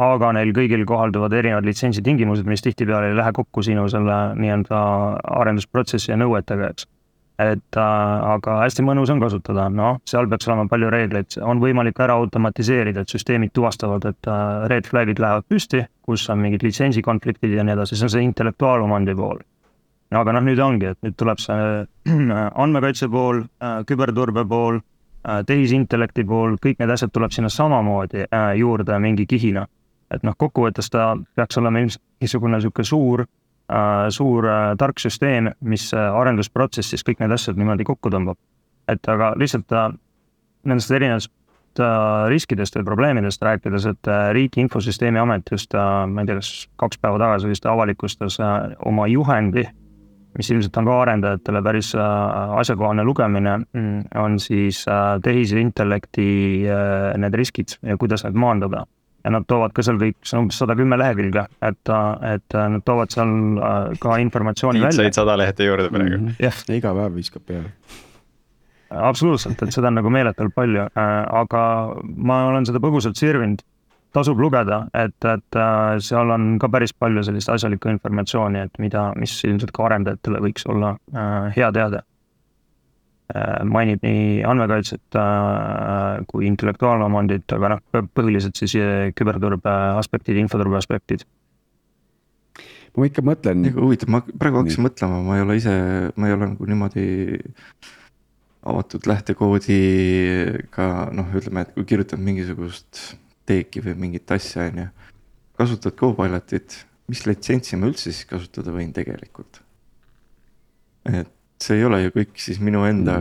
aga neil kõigil kohalduvad erinevad litsentsi tingimused, mis tihtipeale ei lähe kokku sinu selle nii-öelda arendusprotsessi ja nõuetega, eks. Aga hästi mõnus on kasutada, noh, seal peaks olema palju reegleid, on võimalik ära automatiseerida, et süsteemid tuvastavad, et red flagid lähevad püsti, kus on mingid litsentsikonfliktid ja nii edasi, see on see intellektuaalomandi pool. Aga noh, nüüd ongi, et nüüd tuleb see andmekaitse pool, küberturbe pool, tehisintellekti pool, kõik need asjad tuleb sinna samamoodi juurde mingi kihina. Et noh, kokkuvõttes ta peaks olema niisugune suur tark süsteem, mis arendusprotsessis kõik need asjad niimoodi kokku tõmbab. Et aga lihtsalt nendest erinevast riskidest või probleemidest rääkides, et Riigi Infosüsteemi Amet just, ma ei tea, kas 2 päeva tagasi vist avalikustas oma juhendi, mis ilmselt on ka arendajatele päris asjakohane lugemine, on siis tehisintellekti need riskid ja kuidas need maandada. Ja nad toovad ka seal kõik, see on umbes 110 lehekülge, et nad toovad seal ka informatsiooni välja. Said 100 lehte juurde praegu. Iga päev viskab peale. Absoluutselt, et seda on nagu meeletult palju, aga ma olen seda põgusalt sirvinud. Tasub lugeda, et seal on ka päris palju sellist asjalikku informatsiooni, et mis ilmselt ka arendajatele võiks olla hea teada. Mainib nii andmekaitset kui intellektuaalomandit, aga noh, põhiliselt siis küberturbe aspektid, infoturbe aspektid. Ma ikka mõtlen... Huvitav, ma praegu hakkasin mõtlema, ma ei ole nagu niimoodi avatud lähtekoodiga, noh, ütleme, et kui kirjutad mingisugust teeki või mingit asja, on ju, kasutad Copilotit, mis litsentsi ma üldse siis kasutada võin tegelikult? Et see ei ole ju kõik siis minu enda,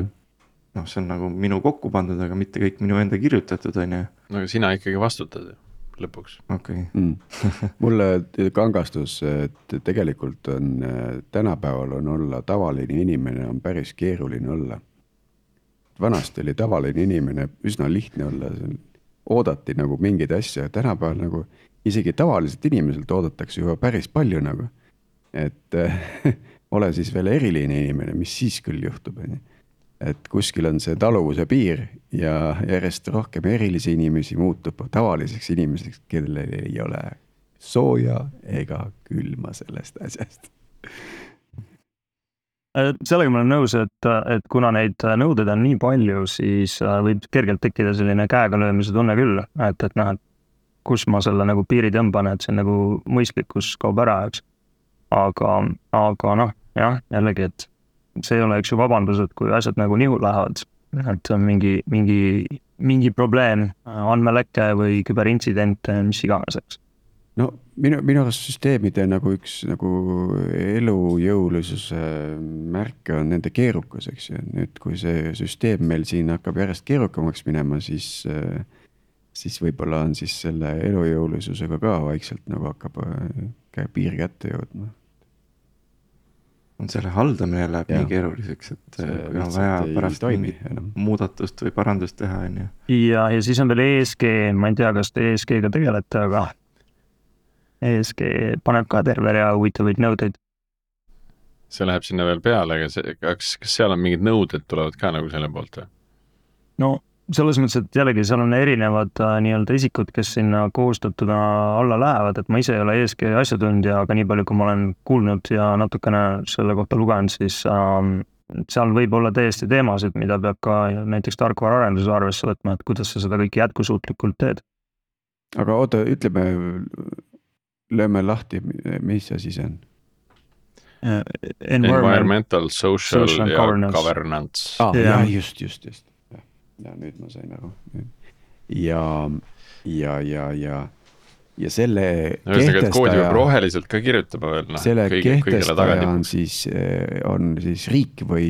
noh, see on nagu minu kokku pandud, aga mitte kõik minu enda kirjutatud, on ju. No aga sina ikkagi vastutad lõpuks. Okay. Mulle kangastus, et tegelikult on tänapäeval on olla tavaline inimene on päris keeruline olla. Vanasti oli tavaline inimene üsna lihtne olla, oodati nagu mingeid asja, tänapäeval nagu isegi tavaliselt inimeselt oodatakse juba päris palju nagu, et ole siis veel eriline inimene, mis siis küll juhtub, et kuskil on see taluvuse piir ja järjest rohkem erilisi inimesi muutub tavaliseks inimeseks, kellel ei ole sooja ega külma sellest asjast. Sellega ma olen nõus, et kuna neid nõudeid on nii palju, siis võib kergelt tekkida selline käega löömise tunne küll, et noh, kus ma selle nagu piiri tõmban, et see nagu mõistlikkus kaob ära, eks. Aga noh, jah, jällegi, et see ei ole üks ju vabandus, et kui asjad nagu nihu lähevad, et on mingi probleem, andmeleke või küberintsident, mis iganes, eks. No minu arust süsteemide nagu üks nagu elujõulisuse märke on nende keerukus, eks ju. Nüüd, kui see süsteem meil siin hakkab järjest keerukamaks minema, siis võib-olla on siis selle elujõulisusega ka vaikselt nagu hakkab piir kätte jõudma. On selle haldamine läheb nii keeruliseks, et kui on vaja pärast muudatust või parandust teha. Ja siis on veel ESG, ma ei tea, kas te ESG-ga tegelete, aga ESG paneb ka terve rea huvitavaid nõudeid. See läheb sinna veel peale, aga kas seal on mingid nõuded tulevad ka nagu selle poolt või? no selles mõttes, et jällegi seal on erinevad nii-öelda isikud, kes sinna kohustatuna alla lähevad, et ma ise ei ole ESG asjatundja, aga nii palju, kui ma olen kuulnud ja natukene selle kohta lugenud, siis seal võib olla täiesti teemasid, mida peab ka näiteks tarkvaraarenduse arvesse võtma, et kuidas sa seda kõike jätkusuutlikult teed. aga oota, ütleme, lööme lahti, mis asi see on? Environmental, social social ja governance. governance. Jah, just. Ja nüüd ma sain aru. Ja selle Ühesõnaga, et koodi peab roheliselt ka kirjutama veel. Selle kehtestaja on siis riik või?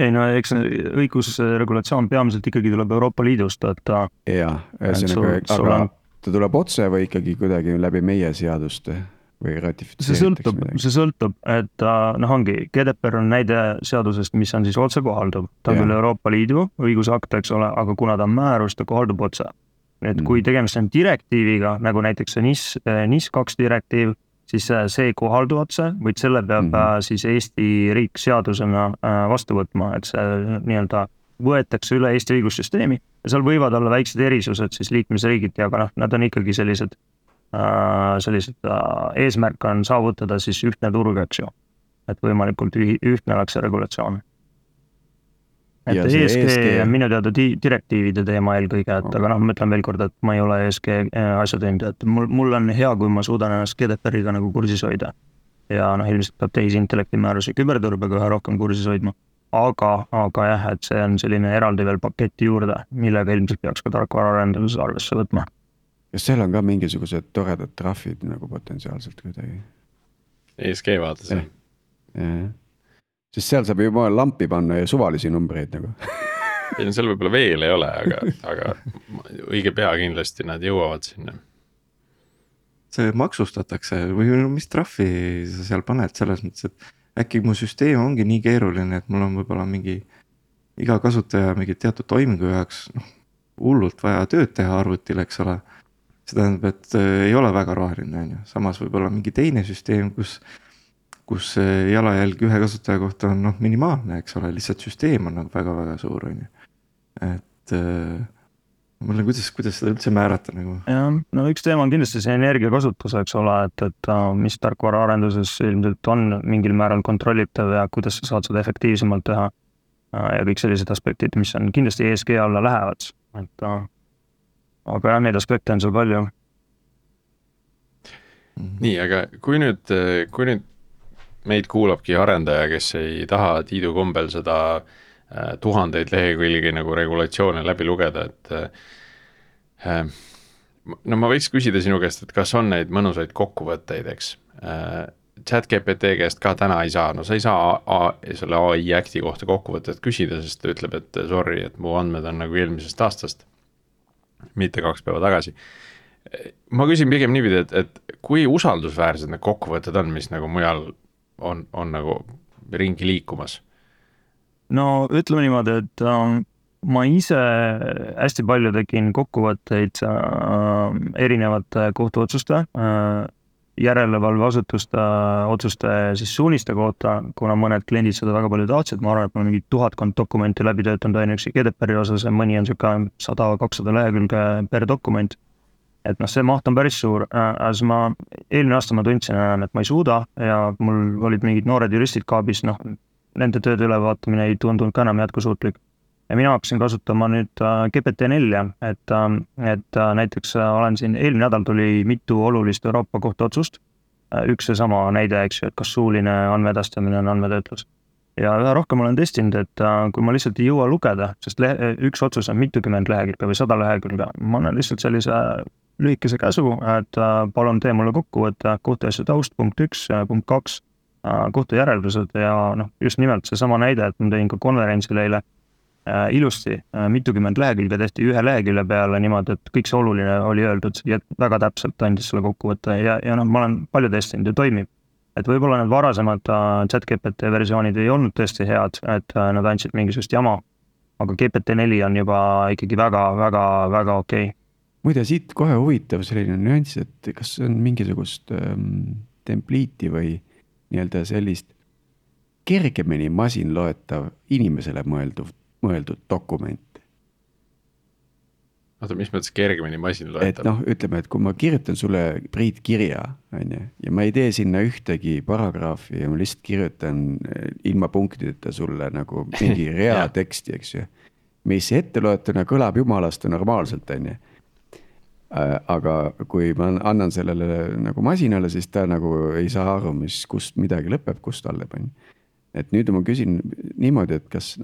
Ei no eks õigusregulatsioon peamiselt ikkagi tuleb Euroopa Liidust, et aga ta tuleb otse või ikkagi kuidagi läbi meie seaduste või ratifitseeritakse? See sõltub, et ongi, GDPR on näide seadusest, mis on siis otse kohaldub. Ta on küll Euroopa Liidu õigusakt, eks ole, aga kuna ta on määrus, ta kohaldub otse. Et kui tegemist on direktiiviga, nagu näiteks see NIS 2 direktiiv, siis see ei kohaldu otse, vaid selle peab siis Eesti riik seadusena vastu võtma, et see nii-öelda võetakse üle Eesti õigussüsteemi ja seal võivad olla väiksed erisused siis liikmesriigiti, aga nad on ikkagi sellised eesmärk on saavutada siis ühtne turg, eks ju. Et võimalikult ühtne oleks see regulatsioon. Et ESG on minu teada direktiivide teema eelkõige, et aga ma ütlen veel kord, et ma ei ole ESG asjatundja, et mul on hea, kui ma suudan ennast GDPR-iga nagu kursis hoida. Ja ilmselt peab tehisintellekti määruse küberturbega üha rohkem kursis hoidma. Aga jah, et see on selline eraldi veel paketti juurde, millega ilmselt peaks ka tarkvaraarenduses arvesse võtma. Kas seal on ka mingisugused toredad trahvid nagu potentsiaalselt kuidagi? ESG vaates. Sest seal saab juba lampi panna ja suvalisi numbreid nagu. Seal võib-olla veel ei ole, aga õige pea kindlasti nad jõuavad sinna. See maksustatakse või mis trahvi sa seal paned selles mõttes, et äkki mu süsteem ongi nii keeruline, et mul on võib-olla mingi iga kasutaja mingi teatud toimingu jaoks hullult vaja tööd teha arvutil, eks ole. See tähendab, et ei ole väga roheline, samas võib-olla mingi teine süsteem, kus jalajälg ühe kasutaja kohta on minimaalne, eks ole, lihtsalt süsteem on väga-väga suur, et mulle kuidas seda üldse määrata nagu? Ja, üks teema on kindlasti see energiakasutus, eks ole, et mis tarkvaraarenduses ilmselt on mingil määral kontrollitav ja kuidas sa saad seda efektiivsemalt teha ja kõik sellised aspektid, mis on kindlasti ESG alla lähevad, et aga neid aspekte on seal palju. Nii, aga kui nüüd meid kuulabki arendaja, kes ei taha Tiidu kombel seda tuhandeid lehekülgi nagu regulatsioone läbi lugeda, et ma võiks küsida sinu käest, et kas on neid mõnusaid kokkuvõtteid, eks? ChatGPT käest ka täna ei saa, sa ei saa selle AI acti kohta kokkuvõtted küsida, sest ta ütleb, et sorry, et mu andmed on nagu eelmisest aastast, mitte 2 päeva tagasi. Ma küsin pigem niipidi, et kui usaldusväärsed need kokkuvõtted on, mis nagu mujal on nagu ringi liikumas? No ütleme niimoodi, et ma ise hästi palju tegin kokkuvõtteid erinevate kohtuotsuste, järelevalveasutuste otsuste siis suuniste kohta, kuna mõned kliendid seda väga palju tahtsid, ma arvan, et ma mingi 1000 dokumenti läbi töötanud ainuüksi GDPR-i osas ja mõni on 100-200 lehekülge per dokument. Et see maht on päris suur, as eelmine aasta ma tundsin enam, et ma ei suuda ja mul olid mingid noored juristid kaabis, nende tööd ülevaatamine ei tundunud ka enam jätkusuutlik. Ja mina hakkasin kasutama nüüd GPT-4, et näiteks olen siin eelmine nädal tuli mitu olulist Euroopa kohtuotsust, üks seesama näide, eks ju, et kas suuline andmeedastamine on andmetöötlus. Ja üha rohkem olen testinud, et kui ma lihtsalt ei jõua lugeda, sest üks otsus on mitukümmend lehekülge või 100 lehekülge, ma annan lihtsalt sellise lühikese käsu, et palun tee mulle kokkuvõtte kohtuasja taust, punkt 1, punkt 2, kohtujäreldused ja just nimelt seesama näide, et ma tõin ka konverentsil eile ilusti mitukümmend lehekülge tehti ühe lehekülje peale niimoodi, et kõik see oluline oli öeldud ja väga täpselt andis selle kokkuvõtte ja ma olen palju testinud ja toimib. Et võib-olla need varasemad ChatGPT versioonid ei olnud tõesti head, et nad andsid mingisugust jama, aga GPT-4 on juba ikkagi väga okei. Muide, siit kohe huvitav selline nüanss, et kas on mingisugust templiiti või nii-öelda sellist kergemini masinloetav inimesele mõelduv mõeldud dokument. oota, mis mõttes kergemini Et masinloetav? noh, ütleme, et kui ma kirjutan sulle, Priit, kirja, on ju, ja ma ei tee sinna ühtegi paragrahvi ja ma lihtsalt kirjutan ilma punktideta sulle nagu mingi rea Jah. teksti, eks ju. Mis etteloetuna kõlab jumalast normaalselt, on ju. Aga kui ma annan sellele nagu masinale, siis ta nagu ei saa aru, kust midagi lõpeb, kust alleb, on ju. Et nüüd ma küsin niimoodi, et kas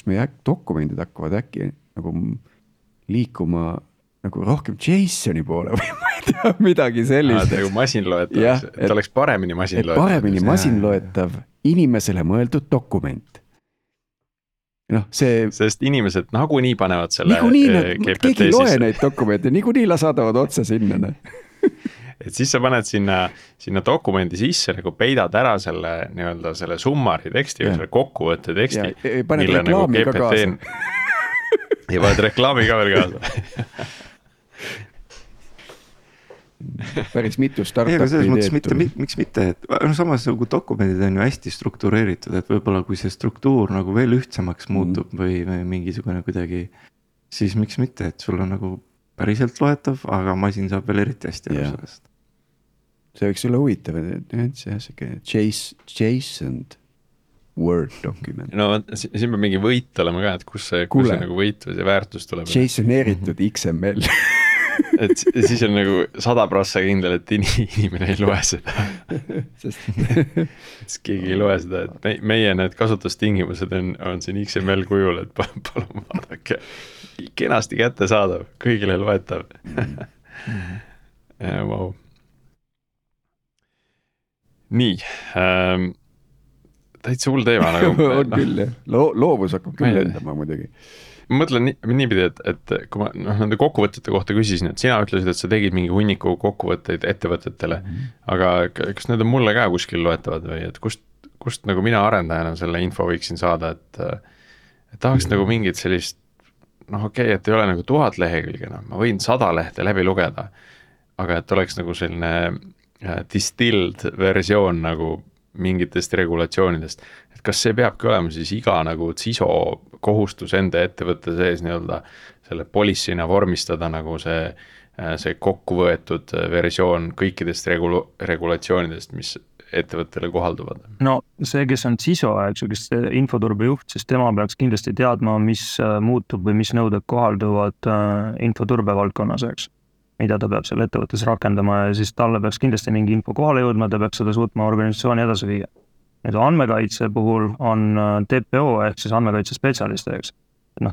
meie dokumendid hakkavad äkki nagu liikuma nagu rohkem JSON-i poole või ma ei tea, midagi sellist. nagu masinloetav, Jah, et oleks paremini et masinloetav. paremini masinloetav inimesele mõeldud dokument. Noh, see Sest inimesed nagunii panevad selle niikuinii, keegi ei loe sisse. neid dokumente, niikuinii saadavad otse sinna. Et siis sa paned sinna dokumendi sisse, nagu peidad ära selle nii-öelda selle summari teksti või Jah. selle kokkuvõtte teksti. Ja paned reklaami ka kaasa. ja paned reklaami ka veel kaasa. Päris mitu ei, aga startupi selles mõttes ideed. miks mitte, et no samas nagu dokumendid on ju hästi struktureeritud, et võib-olla kui see struktuur nagu veel ühtsemaks muutub või mingisugune kuidagi, siis miks mitte, et sul on nagu päriselt loetav, aga masin saab veel eriti hästi aru Jah. sellest. See võiks olla huvitav, et see JSON Word document. no siin peab mingi võit olema ka, et kus see nagu võit või see väärtus tuleb. JSON-eeritud XML. Et siis on nagu 100% kindel, et inimene ei loe seda. Siis keegi ei loe seda, et meie need kasutustingimused on siin XML kujul, et palun vaadake. Kenasti kättesaadav, kõigile loetav. Wow. Nii, täitsa hull teema nagu. On küll, jah. Loovus hakkab küll lendama muidugi. Ma mõtlen niipidi, et kui ma nende kokkuvõtete kohta küsisin, et sina ütlesid, et sa tegid mingi hunniku kokkuvõtteid ettevõtetele, aga kas need on mulle ka kuskil loetavad või et kust nagu mina arendajana selle info võiksin saada, et tahaks nagu mingit sellist, okei, et ei ole nagu 1000 lehekülge, ma võin 100 lehte läbi lugeda, aga et oleks nagu selline distilled versioon nagu mingitest regulatsioonidest, et kas see peabki olema siis iga nagu CISO kohustus enda ettevõtte sees nii-öelda selle policy'na vormistada nagu see kokku võetud versioon kõikidest regulatsioonidest, mis ettevõttele kohalduvad? No see, kes on CISO, eks ju, kes infoturbe juht, siis tema peaks kindlasti teadma, mis muutub või mis nõuded kohalduvad infoturbe valdkonnas, eks, mida ta peab seal ettevõttes rakendama ja siis talle peaks kindlasti mingi info kohale jõudma, ta peaks seda suutma organisatsiooni edasi viia. Nüüd andmekaitse puhul on TPO ehk siis andmekaitse spetsialist, eks.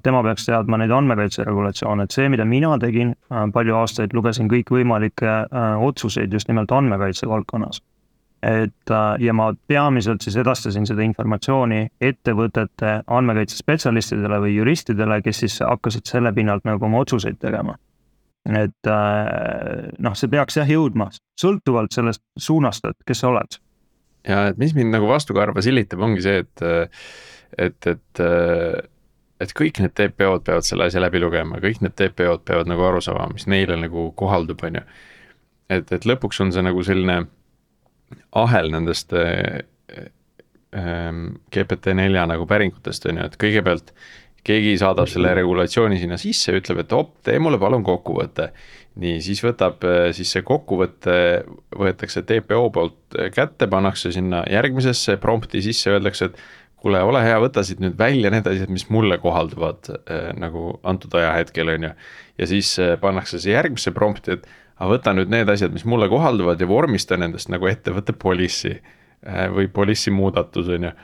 Tema peaks teadma neid andmekaitse regulatsioone, et see, mida mina tegin, palju aastaid lugesin kõikvõimalikke otsuseid just nimelt andmekaitse valdkonnas. Ja ma peamiselt siis edastasin seda informatsiooni ettevõtete andmekaitse spetsialistidele või juristidele, kes siis hakkasid selle pinnalt nagu oma otsuseid tegema. Et see peaks jõudma sõltuvalt sellest suunast, et kes sa oled. Ja et mis mind nagu vastukarva silitab, ongi see, et kõik need TPO-d peavad selle asja läbi lugema, kõik need TPO-d peavad nagu aru saama, mis neile nagu kohaldub, on ju. Et lõpuks on see nagu selline ahel nendest GPT-4 nagu päringutest, on ju, et kõigepealt keegi saadab selle regulatsiooni sinna sisse, ütleb, et tee mulle palun kokkuvõte. Nii, siis siis see kokkuvõte võetakse TPO poolt kätte, pannakse sinna järgmisesse prompti sisse, öeldakse, et kuule, ole hea, võta siit nüüd välja need asjad, mis mulle kohalduvad nagu antud ajahetkel, on ju. Ja siis pannakse see järgmisse prompti, et võta nüüd need asjad, mis mulle kohalduvad ja vormista nendest nagu ettevõtte policy või policy muudatus, on ju.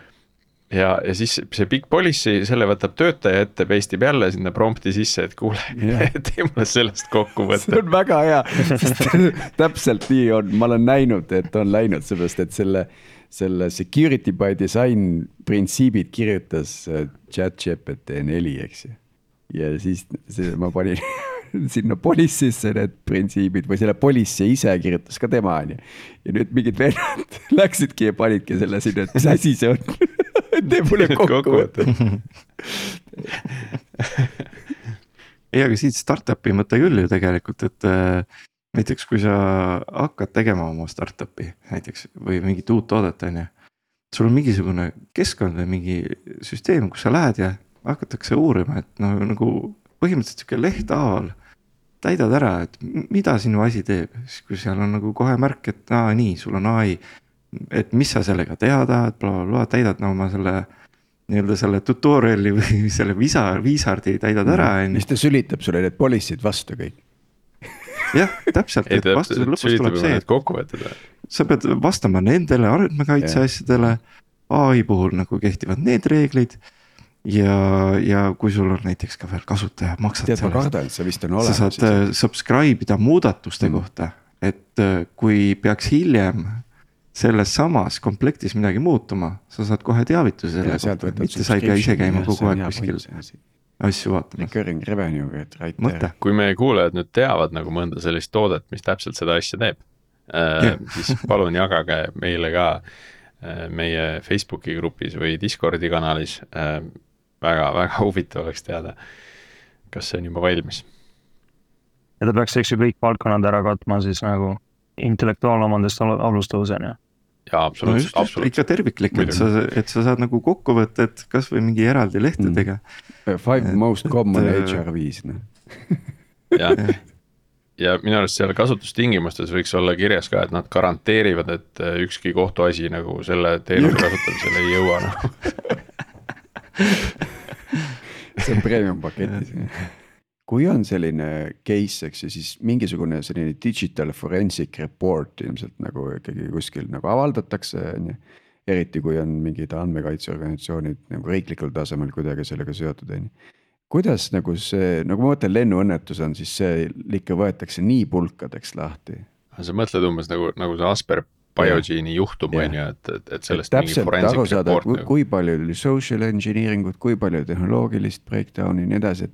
Ja siis see big policy, selle võtab töötaja ette, peistib jälle sinna prompti sisse, et kuule, tee mulle sellest kokku võtta. See on väga hea, sest täpselt nii on, ma olen näinud, et on läinud sellest, et selle security by design printsiibid kirjutas ChatGPT-4, eks ju. Ja siis ma panin sinna policy'sse need printsiibid või selle policy ise kirjutas ka tema, on ju. Ja nüüd mingid vennad läksidki ja panidki selle sinna, et mis asi see on. Tee mulle kokku võtta. Ei, aga siit startupi mõte küll ju tegelikult, et näiteks kui sa hakkad tegema oma startupi näiteks või mingit uut toodet, on ju, sul on mingisugune keskkond või mingi süsteem, kus sa lähed ja hakatakse uurima, et no nagu põhimõtteliselt sihuke lehthaaval täidad ära, et mida sinu asi teeb, siis kui seal on nagu kohe märk, et nii, sul on ai, et mis sa sellega teha tahad, blablabla, täidad oma selle nii-öelda selle tutorial'i või selle viisardi täidad ära. Siis ta sülitab sulle need policy'd vastu kõik. Jah, täpselt, et vastuse lõpus tuleb see, et sa pead vastama nendele andmekaitse asjadele, ai puhul nagu kehtivad need reeglid ja kui sul on näiteks ka veel kasutaja maksad tead, ma kardan, et sa vist on olemas. Sa saad subscribe ida muudatuste kohta, et kui peaks hiljem selles samas komplektis midagi muutuma, sa saad kohe teavituse selle kohta, mitte sa ei pea ise käima kogu aeg kuskil asju vaatama. Recurring revenue, right there. Kui meie kuulajad nüüd teavad nagu mõnda sellist toodet, mis täpselt seda asja teeb, siis palun jagage meile ka meie Facebooki grupis või Discordi kanalis. Väga huvitav oleks teada, kas see on juba valmis. Ja ta peaks eks ju kõik valdkonnad ära katma siis nagu intellektuaalomandest alustõuseni. Jaa, absoluutselt. No ikka terviklik, et sa saad nagu kokku võtta, et kas või mingi eraldi lehtedega. 5 most common HR5. Ja minu arust seal kasutustingimustes võiks olla kirjas ka, et nad garanteerivad, et ükski kohtuasi nagu selle teenuse kasutamisel ei jõua. See on premium paketis. Kui on selline case, eks, siis mingisugune selline digital forensic report ilmselt nagu ikkagi kuskil nagu avaldatakse, eriti kui on mingid andmekaitseorganisatsioonid nagu riiklikul tasemel kuidagi sellega seotud. Kuidas nagu see, nagu ma mõtlen lennuõnnetus on, siis see ikka võetakse nii pulkadeks lahti. Sa mõtled umbes nagu see Asper Biogene'i juhtum, et sellest mingi forensic report. Kui palju oli social engineeringut, kui palju tehnoloogilist breakdowni ja nii edasi,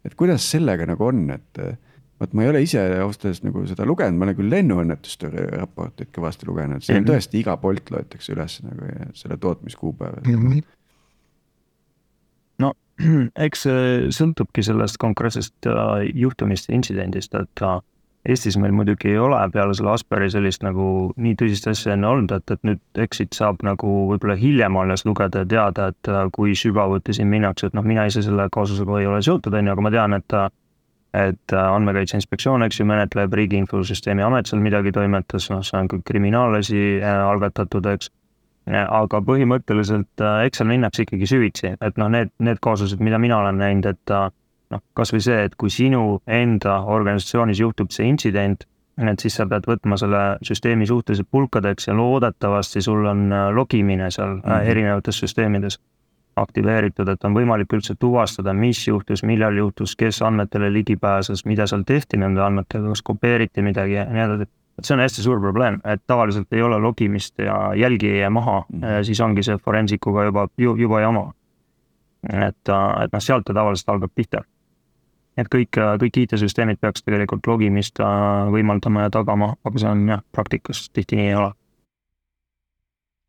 et kuidas sellega nagu on, et ma ei ole ise austas nagu seda lugenud, ma olen küll lennuõnnetuste raportit kõvasti lugenud, see on tõesti iga polt loetakse üles nagu selle tootmiskuupäev. No, eks sõltubki sellest konkreetsest juhtumist ja intsidendist, et Eestis meil muidugi ei ole peale selle Asperi sellist nagu nii tõsist asja enne olnud, et nüüd exit saab nagu võib-olla hiljem alles lugeda ja teada, et kui sügavuti siin minnakse, et mina ise selle kaasusega ei ole seotud, aga ma tean, et andmekaitse inspektsioon, eks ju, menetleb Riigi Infosüsteemi Amet seal midagi toimetas, see on kõik kriminaalasi algatatud, eks. Aga põhimõtteliselt eks seal minnakse ikkagi süvitsi, et need kaasused, mida mina olen näinud, et kas või see, et kui sinu enda organisatsioonis juhtub see intsident, et siis sa pead võtma selle süsteemi suhteliselt pulkadeks ja loodetavasti sul on logimine seal erinevates süsteemides aktiveeritud, et on võimalik üldse tuvastada, mis juhtus, millal juhtus, kes andmetele ligi pääses, mida seal tehti nende andmetega, kas kopeeriti midagi ja nii edasi. See on hästi suur probleem, et tavaliselt ei ole logimist ja jälgi ei jää maha, siis ongi see forensikuga juba jama. Et sealt ta tavaliselt algab pihta. Et kõik IT-süsteemid peaks tegelikult logimist võimaldama ja tagama, aga see on praktikas tihti nii ei ole.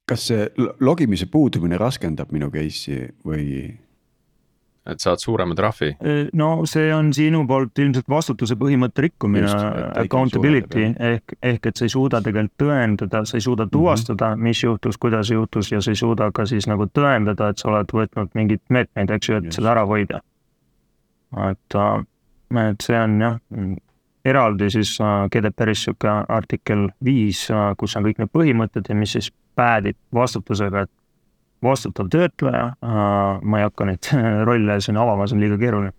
Kas see logimise puudumine raskendab minu case'i või? Et saad suurema trahvi? No see on sinu poolt ilmselt vastutuse põhimõtte rikkumine, accountability, ehk et sa ei suuda tegelikult tõendada, sa ei suuda tuvastada, mis juhtus, kuidas juhtus ja sa ei suuda ka siis nagu tõendada, et sa oled võtnud mingit meetmeid, eks ju, et seda ära hoida. Et see on eraldi siis GDPR-is siuke artikkel 5, kus on kõik need põhimõtted ja mis siis päädib vastutusega, et vastutav töötleja, ma ei hakka neid rolle siin avama, see on liiga keeruline,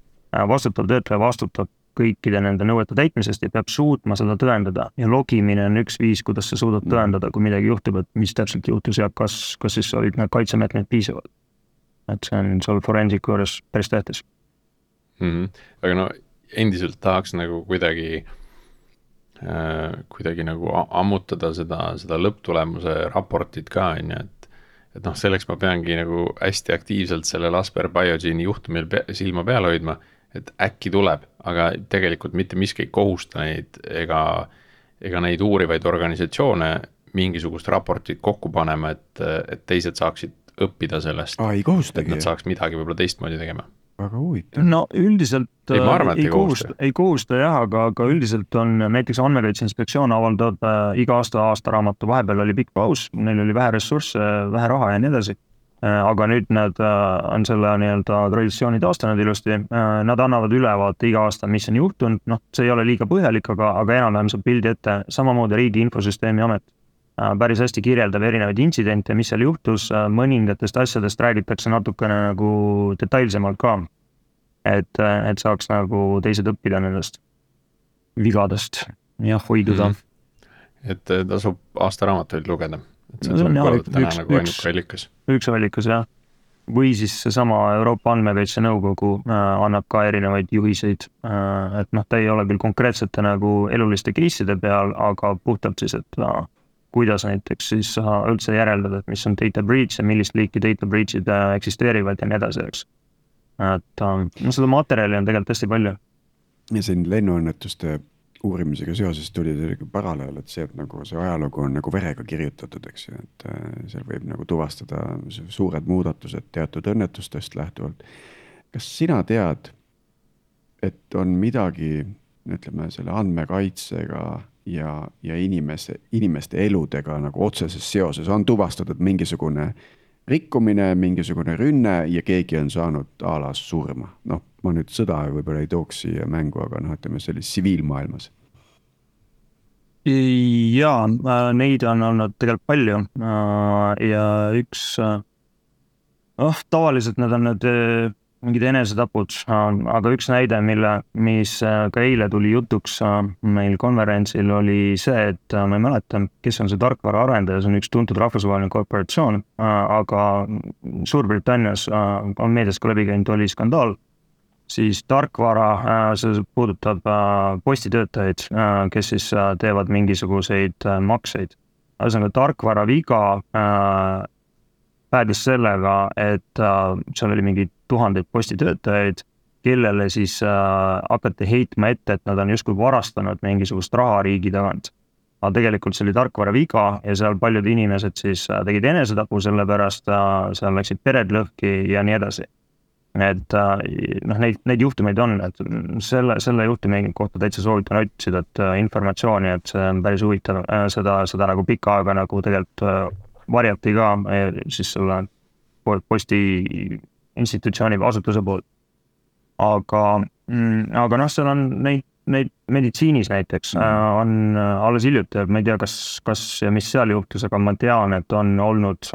vastutav töötleja vastutab kõikide nende nõuete täitmisest ja peab suutma seda tõendada ja logimine on üks viis, kuidas sa suudad tõendada, kui midagi juhtub, et mis täpselt juhtus ja kas siis olid need kaitsemeetmed piisavad. Et see on seal forensiku juures päris tähtis. Aga endiselt tahaks nagu kuidagi nagu ammutada seda lõpptulemuse raportit ka, et selleks ma peangi nagu hästi aktiivselt selle Asper Biogene'i juhtumil silma peal hoidma, et äkki tuleb, aga tegelikult mitte miski ei kohusta neid ega neid uurivaid organisatsioone mingisugust raportit kokku panema, et teised saaksid õppida sellest, et nad saaks midagi võib-olla teistmoodi tegema. Väga huvitav. No üldiselt ei kohusta jah, aga üldiselt on näiteks andmekaitse inspektsioon avaldab iga aastaraamatu, vahepeal oli pikk paus, neil oli vähe ressursse, vähe raha ja nii edasi. aga nüüd nad on selle nii-öelda traditsiooni taastanud ilusti, nad annavad ülevaate iga aasta, mis on juhtunud, noh, see ei ole liiga põhjalik, aga enam-vähem saab pildi ette, samamoodi Riigi Infosüsteemi Amet päris hästi kirjeldab erinevaid intsidente, mis seal juhtus, mõningatest asjadest räägitakse natukene nagu detailsemalt ka, et saaks nagu teised õppida nendest vigadest ja hoiduda. Et tasub aastaraamatuid lugeda, et see No, see on tuleb jah, kõlada täna üks- nagu üks- ainuke allikas. Üks allikas, jah. Või siis seesama Euroopa Andmekaitse Nõukogu annab ka erinevaid juhiseid, et noh, ta ei ole küll konkreetsete nagu eluliste case'ide peal, aga puhtalt siis, et kuidas näiteks siis üldse järeldada, et mis on data breach ja millist liiki data breach'id eksisteerivad ja nii edasi, eks. Et no seda materjali on tegelikult hästi palju. ja siin lennuõnnetuste uurimisega seoses tuli selline paralleel, et see, et nagu see ajalugu on nagu verega kirjutatud, eks ju, et seal võib nagu tuvastada suured muudatused teatud õnnetustest lähtuvalt. Kas sina tead, et on midagi, ütleme, selle andmekaitsega ja inimeste eludega nagu otseses seoses, on tuvastatud mingisugune rikkumine, mingisugune rünne ja keegi on saanud a la surma? Noh, ma nüüd sõda võib-olla ei tooks siia mängu, aga noh, ütleme sellises tsiviilmaailmas. Jaa, neid on olnud tegelikult palju ja üks, tavaliselt need on need mingid enesetapud, aga üks näide, mis ka eile tuli jutuks meil konverentsil oli see, et ma ei mäleta, kes on see tarkvara arendaja, see on üks tuntud rahvusvaheline korporatsioon, aga Suurbritannias on meedias ka läbi käinud, oli skandaal, siis tarkvara, see puudutab postitöötajaid, kes siis teevad mingisuguseid makseid. Ühesõnaga tarkvara viga päädis sellega, et seal oli mingi tuhandeid postitöötajaid, kellele siis hakati heitma ette, et nad on justkui varastanud mingisugust raha riigi tagant. Aga tegelikult see oli tarkvara viga ja seal paljud inimesed siis tegid enesetapu selle pärast, seal läksid pered lõhki ja nii edasi. Et noh, neid juhtumeid on, et selle juhtumi kohta täitsa soovitan otsida, et informatsiooni, et see on päris huvitav, seda nagu pikka aega nagu tegelikult varjati ka siis selle posti institutsiooni või asutuse poolt. Aga noh, seal on neid meditsiinis näiteks on alles hiljuti, ma ei tea, kas ja mis seal juhtus, aga ma tean, et on olnud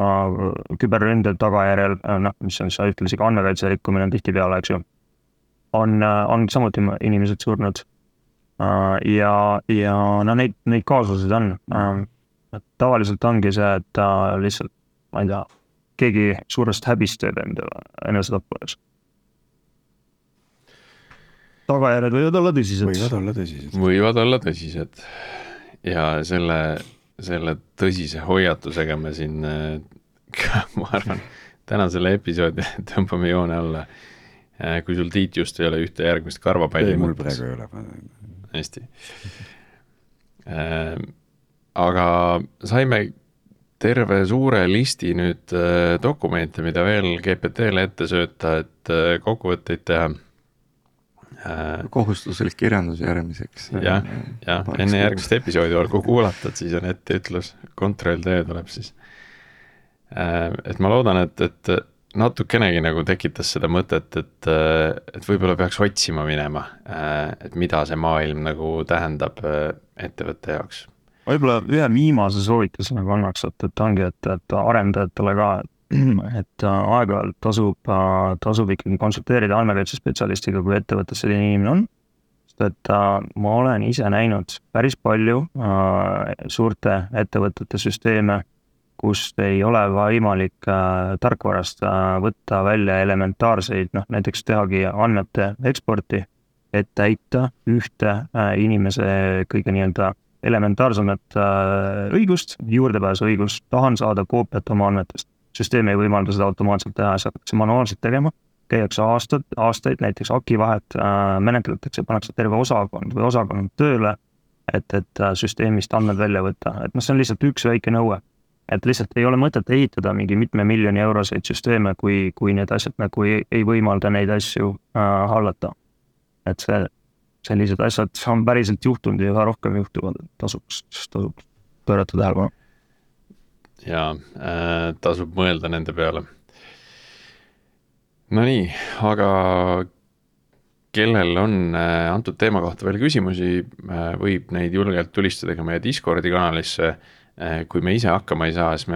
küberründe tagajärjel, noh, mis on ühtlasi ka andmekaitse rikkumine on tihtipeale, eks ju, on samuti inimesed surnud. Ja no neid kaasusid on. Tavaliselt ongi see, et lihtsalt, ma ei tea, keegi suurest häbist teeb endale enesetappudes. Tagajärjed võivad olla tõsised. Võivad olla tõsised. Ja selle tõsise hoiatusega me siin, ma arvan, tänasele episoodi tõmbame joone alla. Kui sul Tiit just ei ole ühte järgmist karvapalli. Ei, mul praegu ei ole. Hästi. Aga saime terve suure listi nüüd dokumente, mida veel GPT-le ette sööta, et kokkuvõtteid teha. Kohustuslik kirjandus järgmiseks. Ja enne järgmist episoodi olgu kuulata, et siis on etteütlus, kontrolltöö tuleb siis. Et ma loodan, et natukenegi nagu tekitas seda mõtet, et võib-olla peaks otsima minema, et mida see maailm nagu tähendab ettevõtte jaoks. Võib-olla ühe viimase soovituse nagu annaks, et ongi, et arendajatele ka, et aeg-ajalt tasub ikkagi konsulteerida andmekaitsespetsialistiga, kui ettevõttes selline inimene on. Sest et ma olen ise näinud päris palju suurte ettevõtete süsteeme, kust ei ole võimalik tarkvarast võtta välja elementaarseid, noh näiteks tehagi andmete eksporti, et täita ühte inimese kõige nii-öelda elementaarsemat õigust, juurdepääsu õigust, tahan saada koopiat oma andmetest. Süsteem ei võimalda seda automaatselt teha, see hakatakse manuaalselt tegema, käiakse aastaid, näiteks akivahet menetletakse, pannakse terve osakond tööle, et süsteemist andmed välja võtta. Et noh, see on lihtsalt üks väike nõue, et lihtsalt ei ole mõtet ehitada mingi mitme miljoni euroseid süsteeme, kui need asjad nagu ei võimalda neid asju hallata. Et sellised asjad on päriselt juhtunud ja üha rohkem juhtuvad, et tasub pöörata tähelepanu. Ja tasub mõelda nende peale. no nii, aga kellel on antud teema kohta veel küsimusi, võib neid julgelt tulistada ka meie Discordi kanalisse. Kui me ise hakkama ei saa, siis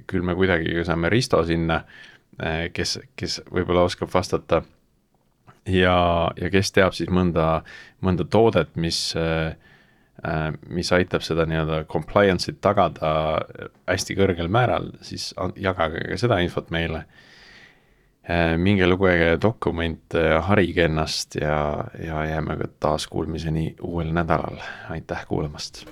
küll me kuidagi saame Risto sinna, kes võib-olla oskab vastata. Ja kes teab siis mõnda toodet, mis aitab seda nii-öelda compliance'it tagada hästi kõrgel määral, siis jagage ka seda infot meile. Minge lugege dokument, harige ennast ja jääme ka taas kuulmiseni uuel nädalal. Aitäh kuulamast!